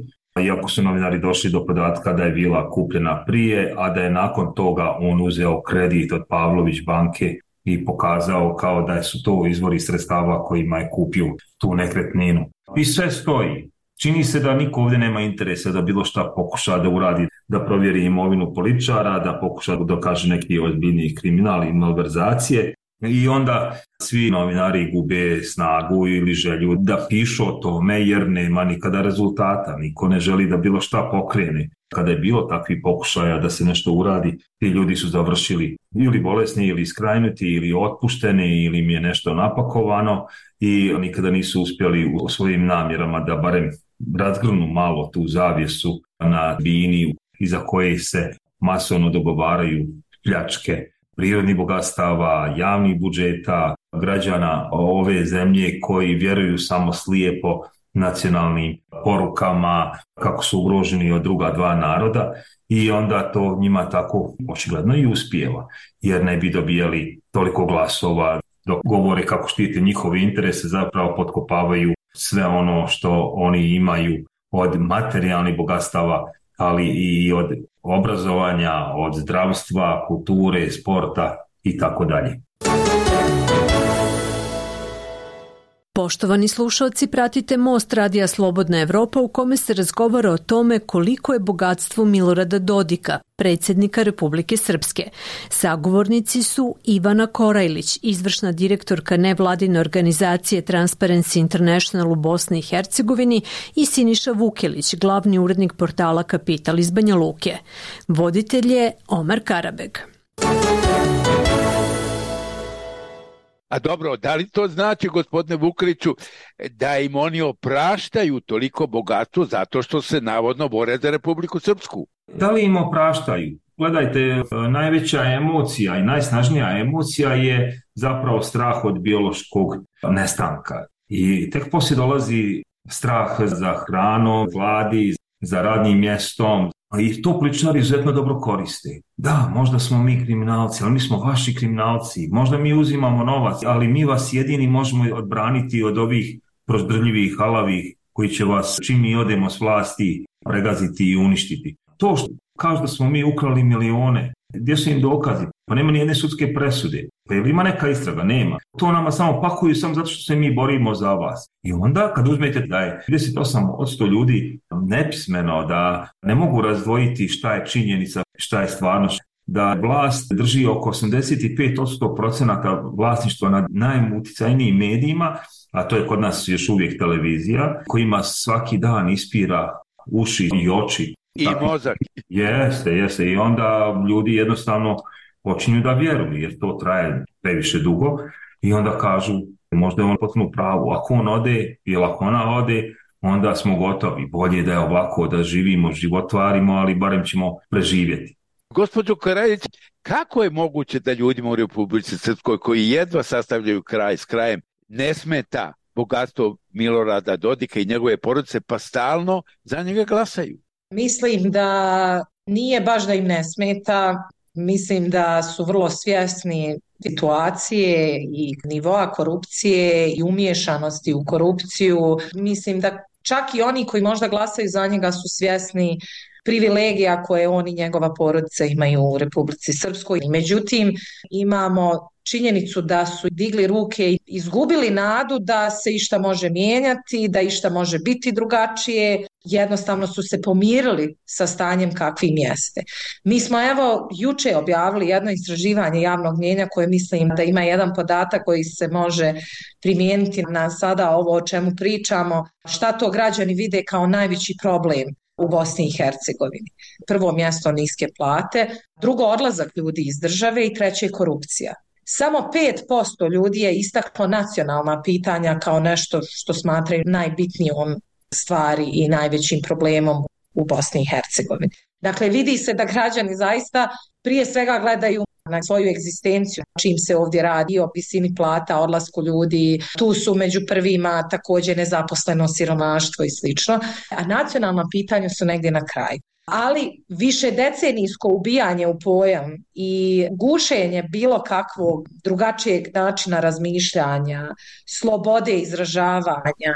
Speaker 11: Iako su novinari došli do podatka da je vila kupljena prije, a da je nakon toga on uzeo kredit od Pavlović banke i pokazao kao da su to izvori sredstava kojima je kupio tu nekretninu. I sve stoji. Čini se da niko ovdje nema interesa da bilo šta pokuša da uradi, da provjeri imovinu političara, da pokuša da dokaže neki ozbiljniji kriminal i malverzacije. I onda svi novinari gube snagu ili želju da pišu o tome jer nema nikada rezultata. Niko ne želi da bilo šta pokrene. Kada je bilo takvih pokušaja da se nešto uradi, ti ljudi su završili ili bolesni, ili iskrajnuti, ili otpušteni, ili im je nešto napakovano i nikada nisu uspjeli u svojim namjerama da barem razgrnu malo tu zavjesu na bini iza koje se masovno dogovaraju pljačke prirodnih bogatstava, javnih budžeta, građana ove zemlje koji vjeruju samo slijepo nacionalnim porukama kako su ugroženi od druga dva naroda, i onda to njima tako očigledno i uspijeva, jer ne bi dobijali toliko glasova dok govore kako štite njihove interese, zapravo potkopavaju sve ono što oni imaju od materijalnih bogatstava ali i od obrazovanja, od zdravstva, kulture, sporta i tako dalje.
Speaker 4: Poštovani slušalci, pratite Most Radija Slobodna Evropa u kome se razgovara o tome koliko je bogatstvo Milorada Dodika, predsjednika Republike Srpske. Sagovornici su Ivana Korajlić, izvršna direktorka nevladine organizacije Transparency International u Bosni i Hercegovini, i Siniša Vukelić, glavni urednik portala Kapital iz Banja Luke. Voditelj je Omar Karabeg.
Speaker 9: A dobro, da li to znači, gospodine Vukeliću, da im oni opraštaju toliko bogatstvo zato što se navodno bore za Republiku Srpsku?
Speaker 11: Da li im opraštaju? Gledajte, najveća emocija i najsnažnija emocija je zapravo strah od biološkog nestanka. I tek poslije dolazi strah za hranom, gladi, za radnim mjestom. I to političari izuzetno dobro koriste. Da, možda smo mi kriminalci, ali mi smo vaši kriminalci. Možda mi uzimamo novac, ali mi vas jedini možemo odbraniti od ovih prozdrljivih, halavih koji će vas, čim mi odemo s vlasti, pregaziti i uništiti. To što kažu da smo mi ukrali milione, gdje su im dokazi? Pa nema ni jedne sudske presude. Pa je li ima neka istraga? Nema. To nama samo pakuju samo zato što se mi borimo za vas. I onda kad uzmete da je 38% ljudi nepismeno, da ne mogu razdvojiti šta je činjenica, šta je stvarnost, da vlast drži oko 85% vlasništva nad najuticajnijim medijima, a to je kod nas još uvijek televizija, kojima svaki dan ispira uši i oči.
Speaker 9: I mozak.
Speaker 11: Jeste. I onda ljudi jednostavno počinju da vjeruju, jer to traje previše dugo, i onda kažu, možda je on potpuno pravo, ako on ode ili ako ona ode, onda smo gotovi. Bolje da je ovako, da živimo, životvarimo, ali barem ćemo preživjeti.
Speaker 9: Gospođo Korajlić, kako je moguće da ljudima u Republici Srpskoj, koji jedva sastavljaju kraj s krajem, ne smeta bogatstvo Milorada Dodika i njegove porodice, pa stalno za njega glasaju?
Speaker 10: Mislim da nije baš da im ne smeta, mislim da su vrlo svjesni situacije i nivoa korupcije i umiješanosti u korupciju. Mislim da čak i oni koji možda glasaju za njega su svjesni privilegija koje on i njegova porodica imaju u Republici Srpskoj. Međutim, imamo činjenicu da su digli ruke i izgubili nadu da se išta može mijenjati, da išta može biti drugačije. Jednostavno su se pomirili sa stanjem kakvim jeste. Mi smo juče objavili jedno istraživanje javnog mnijenja koje mislim da ima jedan podatak koji se može primijeniti na sada ovo o čemu pričamo. Šta to građani vide kao najveći problem u Bosni i Hercegovini? Prvo mjesto niske plate, drugo odlazak ljudi iz države i treće korupcija. Samo 5% ljudi je istaklo nacionalna pitanja kao nešto što smatraju najbitnijom stvari i najvećim problemom u Bosni i Hercegovini. Dakle, vidi se da građani zaista prije svega gledaju na svoju egzistenciju, čim se ovdje radi o visini plata, odlasku ljudi, tu su među prvima također nezaposleno, siromaštvo i slično, a nacionalna pitanja su negdje na kraju. Ali više decenijsko ubijanje u pojam i gušenje bilo kakvog drugačijeg načina razmišljanja, slobode izražavanja,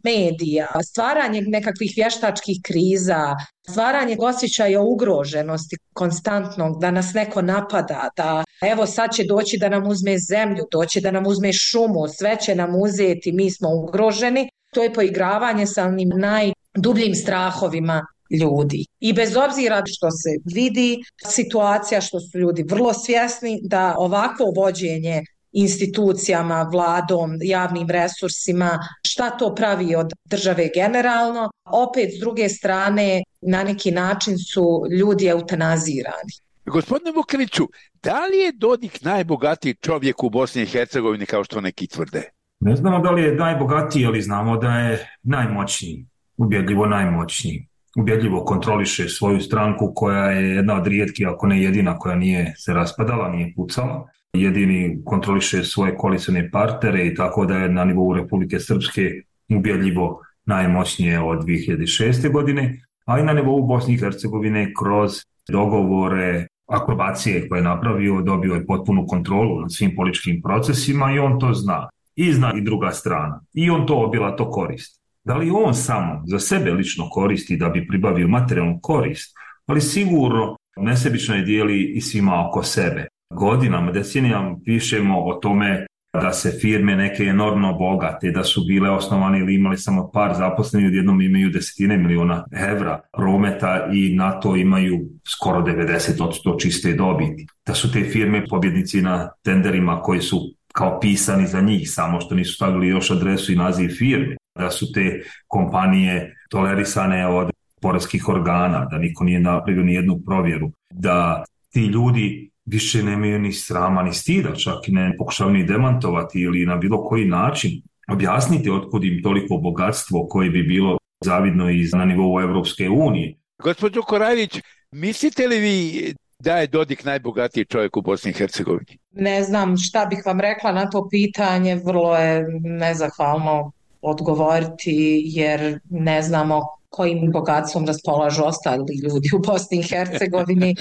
Speaker 10: medija, stvaranje nekakvih vještačkih kriza, stvaranje osjećaja ugroženosti konstantnog, da nas neko napada, da evo sad će doći da nam uzme zemlju, doći da nam uzme šumu, sve će nam uzeti, mi smo ugroženi. To je poigravanje sa onim najdubljim strahovima ljudi. I bez obzira što se vidi situacija, što su ljudi vrlo svjesni da ovakvo vođenje institucijama, vladom, javnim resursima, šta to pravi od države generalno, opet s druge strane na neki način su ljudi eutanazirani.
Speaker 9: Gospodine Vukeliću, da li je Dodik najbogatiji čovjek u Bosni i Hercegovini kao što neki tvrde?
Speaker 11: Ne znamo da li je najbogatiji, ali znamo da je najmoćniji, ubjedljivo najmoćniji. Ubjedljivo kontroliše svoju stranku koja je jedna od rijetkih, ako ne jedina, koja nije se raspadala, nije pucala. Jedini kontroliše svoje koalicijne partnere i tako da je na nivou Republike Srpske ubjedljivo najmoćnije od 2006. godine, a i na nivou Bosne i Hercegovine kroz dogovore, akrobacije koje je napravio, dobio je potpunu kontrolu nad svim političkim procesima i on to zna. I zna i druga strana. I on to obilato koristi. Da li on samo za sebe lično koristi da bi pribavio materijalnu korist, ali sigurno nesebično je dijeli i svima oko sebe. Godinama, decenijama pišemo o tome da se firme neke enormno bogate, da su bile osnovane ili imali samo par zaposlenih, odjednom imaju desetine miliona evra prometa i na to imaju skoro 90% čiste dobiti. Da su te firme pobjednici na tenderima koji su kao pisani za njih, samo što nisu stavili još adresu i naziv firme. Da su te kompanije tolerisane od poreskih organa, da niko nije napravio ni jednu provjeru, da ti ljudi više nemaju ni srama ni stida, čak i ne pokušavaju ni demantovati ili na bilo koji način objasniti otkud im toliko bogatstvo koje bi bilo zavidno i na nivou Evropske unije.
Speaker 9: Gospođo Korajlić, mislite li vi da je Dodik najbogatiji čovjek u Bosni i Hercegovini?
Speaker 10: Ne znam šta bih vam rekla na to pitanje, vrlo je nezahvalno odgovoriti jer ne znamo kojim bogatstvom raspolažu ostali ljudi u Bosni i Hercegovini.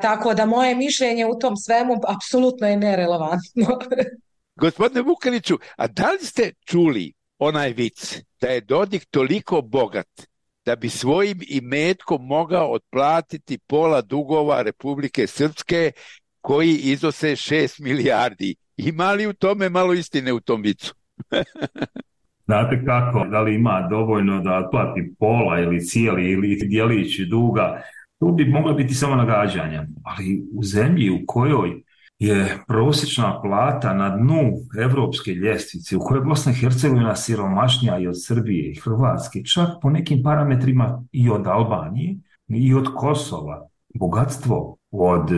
Speaker 10: Tako da moje mišljenje u tom svemu apsolutno je nerelevantno.
Speaker 9: Gospodine Vukeliću, a da li ste čuli onaj vic da je Dodik toliko bogat da bi svojim imetkom mogao otplatiti pola dugova Republike Srpske koji iznose 6 milijardi? Ima li u tome malo istine u tom vicu?
Speaker 11: Znate kako, da li ima dovoljno da otplati pola ili cijeli ili dijelić duga? Tu bi mogla biti samo nagađanja, ali u zemlji u kojoj je prosječna plata na dnu evropske ljestvice, u kojoj je Bosna i Hercegovina siromašnija i od Srbije i Hrvatske, čak po nekim parametrima i od Albanije i od Kosova, bogatstvo od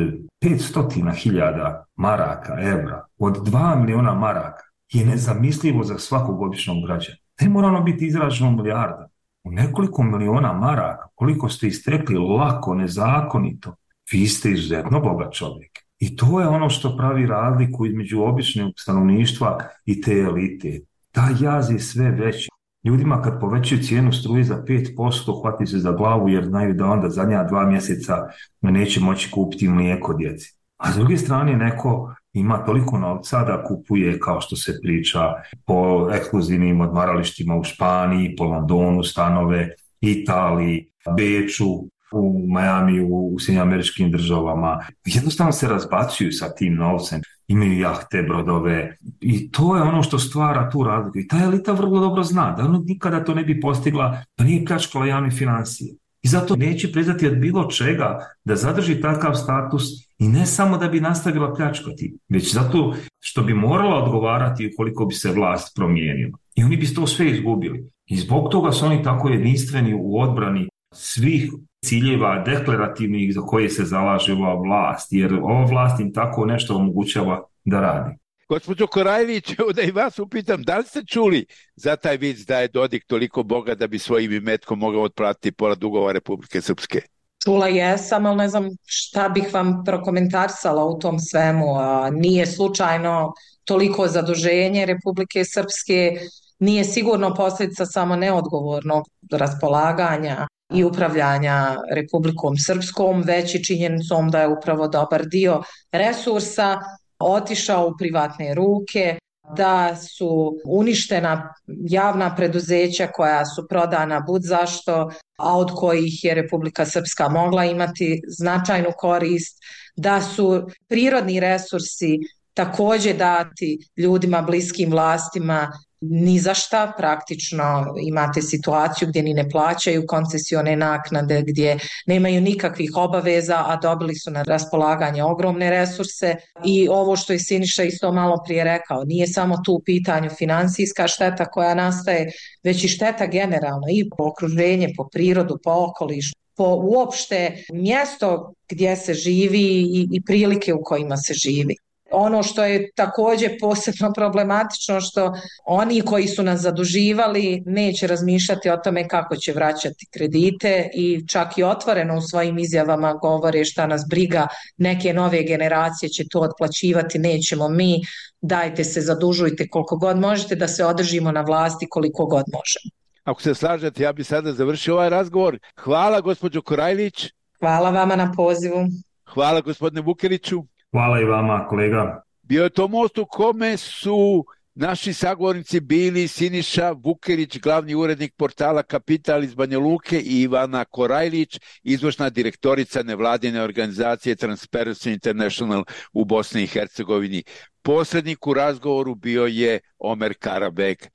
Speaker 11: 500.000 maraka, evra, od 2 miliona maraka je nezamislivo za svakog običnog građana. Ne mora ono biti izraženo milijarda. U nekoliko miliona maraka, koliko ste istekli lako, nezakonito, vi ste izuzetno bogat čovjek. I to je ono što pravi razliku između običnog stanovništva i te elite. Ta jaz je sve veći. Ljudima kad povećaju cijenu struje za 5%, hvati se za glavu jer znaju da onda zadnja 2 mjeseca neće moći kupiti mlijeko djeci. A s druge strane neko ima toliko novca da kupuje, kao što se priča, po ekskluzivnim odmaralištima u Španiji, po Londonu stanove, Italiji, Beču, u Miami, u Sjedinjenim Američkim Državama. Jednostavno se razbacuju sa tim novcem. Imaju jahte, brodove i to je ono što stvara tu razliku. I ta elita vrlo dobro zna da ono nikada to ne bi postigla, da nije pljačkala javne financije. I zato neće priznati od bilo čega da zadrži takav status i ne samo da bi nastavila pljačkati, već zato što bi morala odgovarati ukoliko bi se vlast promijenila. I oni bi to sve izgubili. I zbog toga su oni tako jedinstveni u odbrani svih ciljeva deklarativnih za koje se zalaže ova vlast, jer ova vlast im tako nešto omogućava da radi.
Speaker 9: Gospođo Korajlić, da i vas upitam, da li ste čuli za taj vic da je Dodik toliko bogat da bi svojim imetkom mogao otplatiti pola dugova Republike Srpske?
Speaker 10: Čula jesam, ali ne znam šta bih vam prokomentarisala u tom svemu. Nije slučajno toliko zaduženje Republike Srpske, nije sigurno posljedica samo neodgovornog raspolaganja i upravljanja Republikom Srpskom, već i činjenicom da je upravo dobar dio resursa otišao u privatne ruke, da su uništena javna preduzeća koja su prodana budzašto, a od kojih je Republika Srpska mogla imati značajnu korist, da su prirodni resursi također dati ljudima bliskim vlastima ni za šta, praktično imate situaciju gdje ni ne plaćaju koncesione naknade, gdje nemaju nikakvih obaveza, a dobili su na raspolaganje ogromne resurse. I ovo što je Siniša isto malo prije rekao, nije samo tu u pitanju financijska šteta koja nastaje, već i šteta generalno i po okruženje, po prirodu, po okolišu, po uopšte mjesto gdje se živi i prilike u kojima se živi. Ono što je također posebno problematično, što oni koji su nas zaduživali neće razmišljati o tome kako će vraćati kredite i čak i otvoreno u svojim izjavama govore šta nas briga, neke nove generacije će to otplaćivati, nećemo mi, dajte se zadužujte koliko god možete da se održimo na vlasti koliko god možemo.
Speaker 9: Ako se slažete, ja bih sada završio ovaj razgovor. Hvala gospođo Korajlić.
Speaker 10: Hvala vama na pozivu.
Speaker 9: Hvala gospodine Vukeliću.
Speaker 11: Hvala i vama, kolega.
Speaker 9: Bio je to most u kome su Naši sagovornici bili Siniša Vukerić, glavni urednik portala Kapital iz Banja Luke, i Ivana Korajlić, izvršna direktorica nevladine organizacije Transparency International u Bosni i Hercegovini. Posrednik u razgovoru bio je Omer Karabek.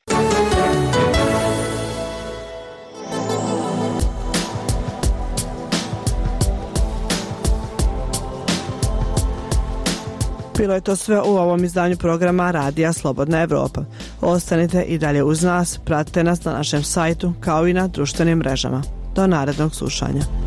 Speaker 8: Bilo je to sve u ovom izdanju programa Radija Slobodna Evropa. Ostanite i dalje uz nas, pratite nas na našem sajtu kao i na društvenim mrežama. Do narednog slušanja.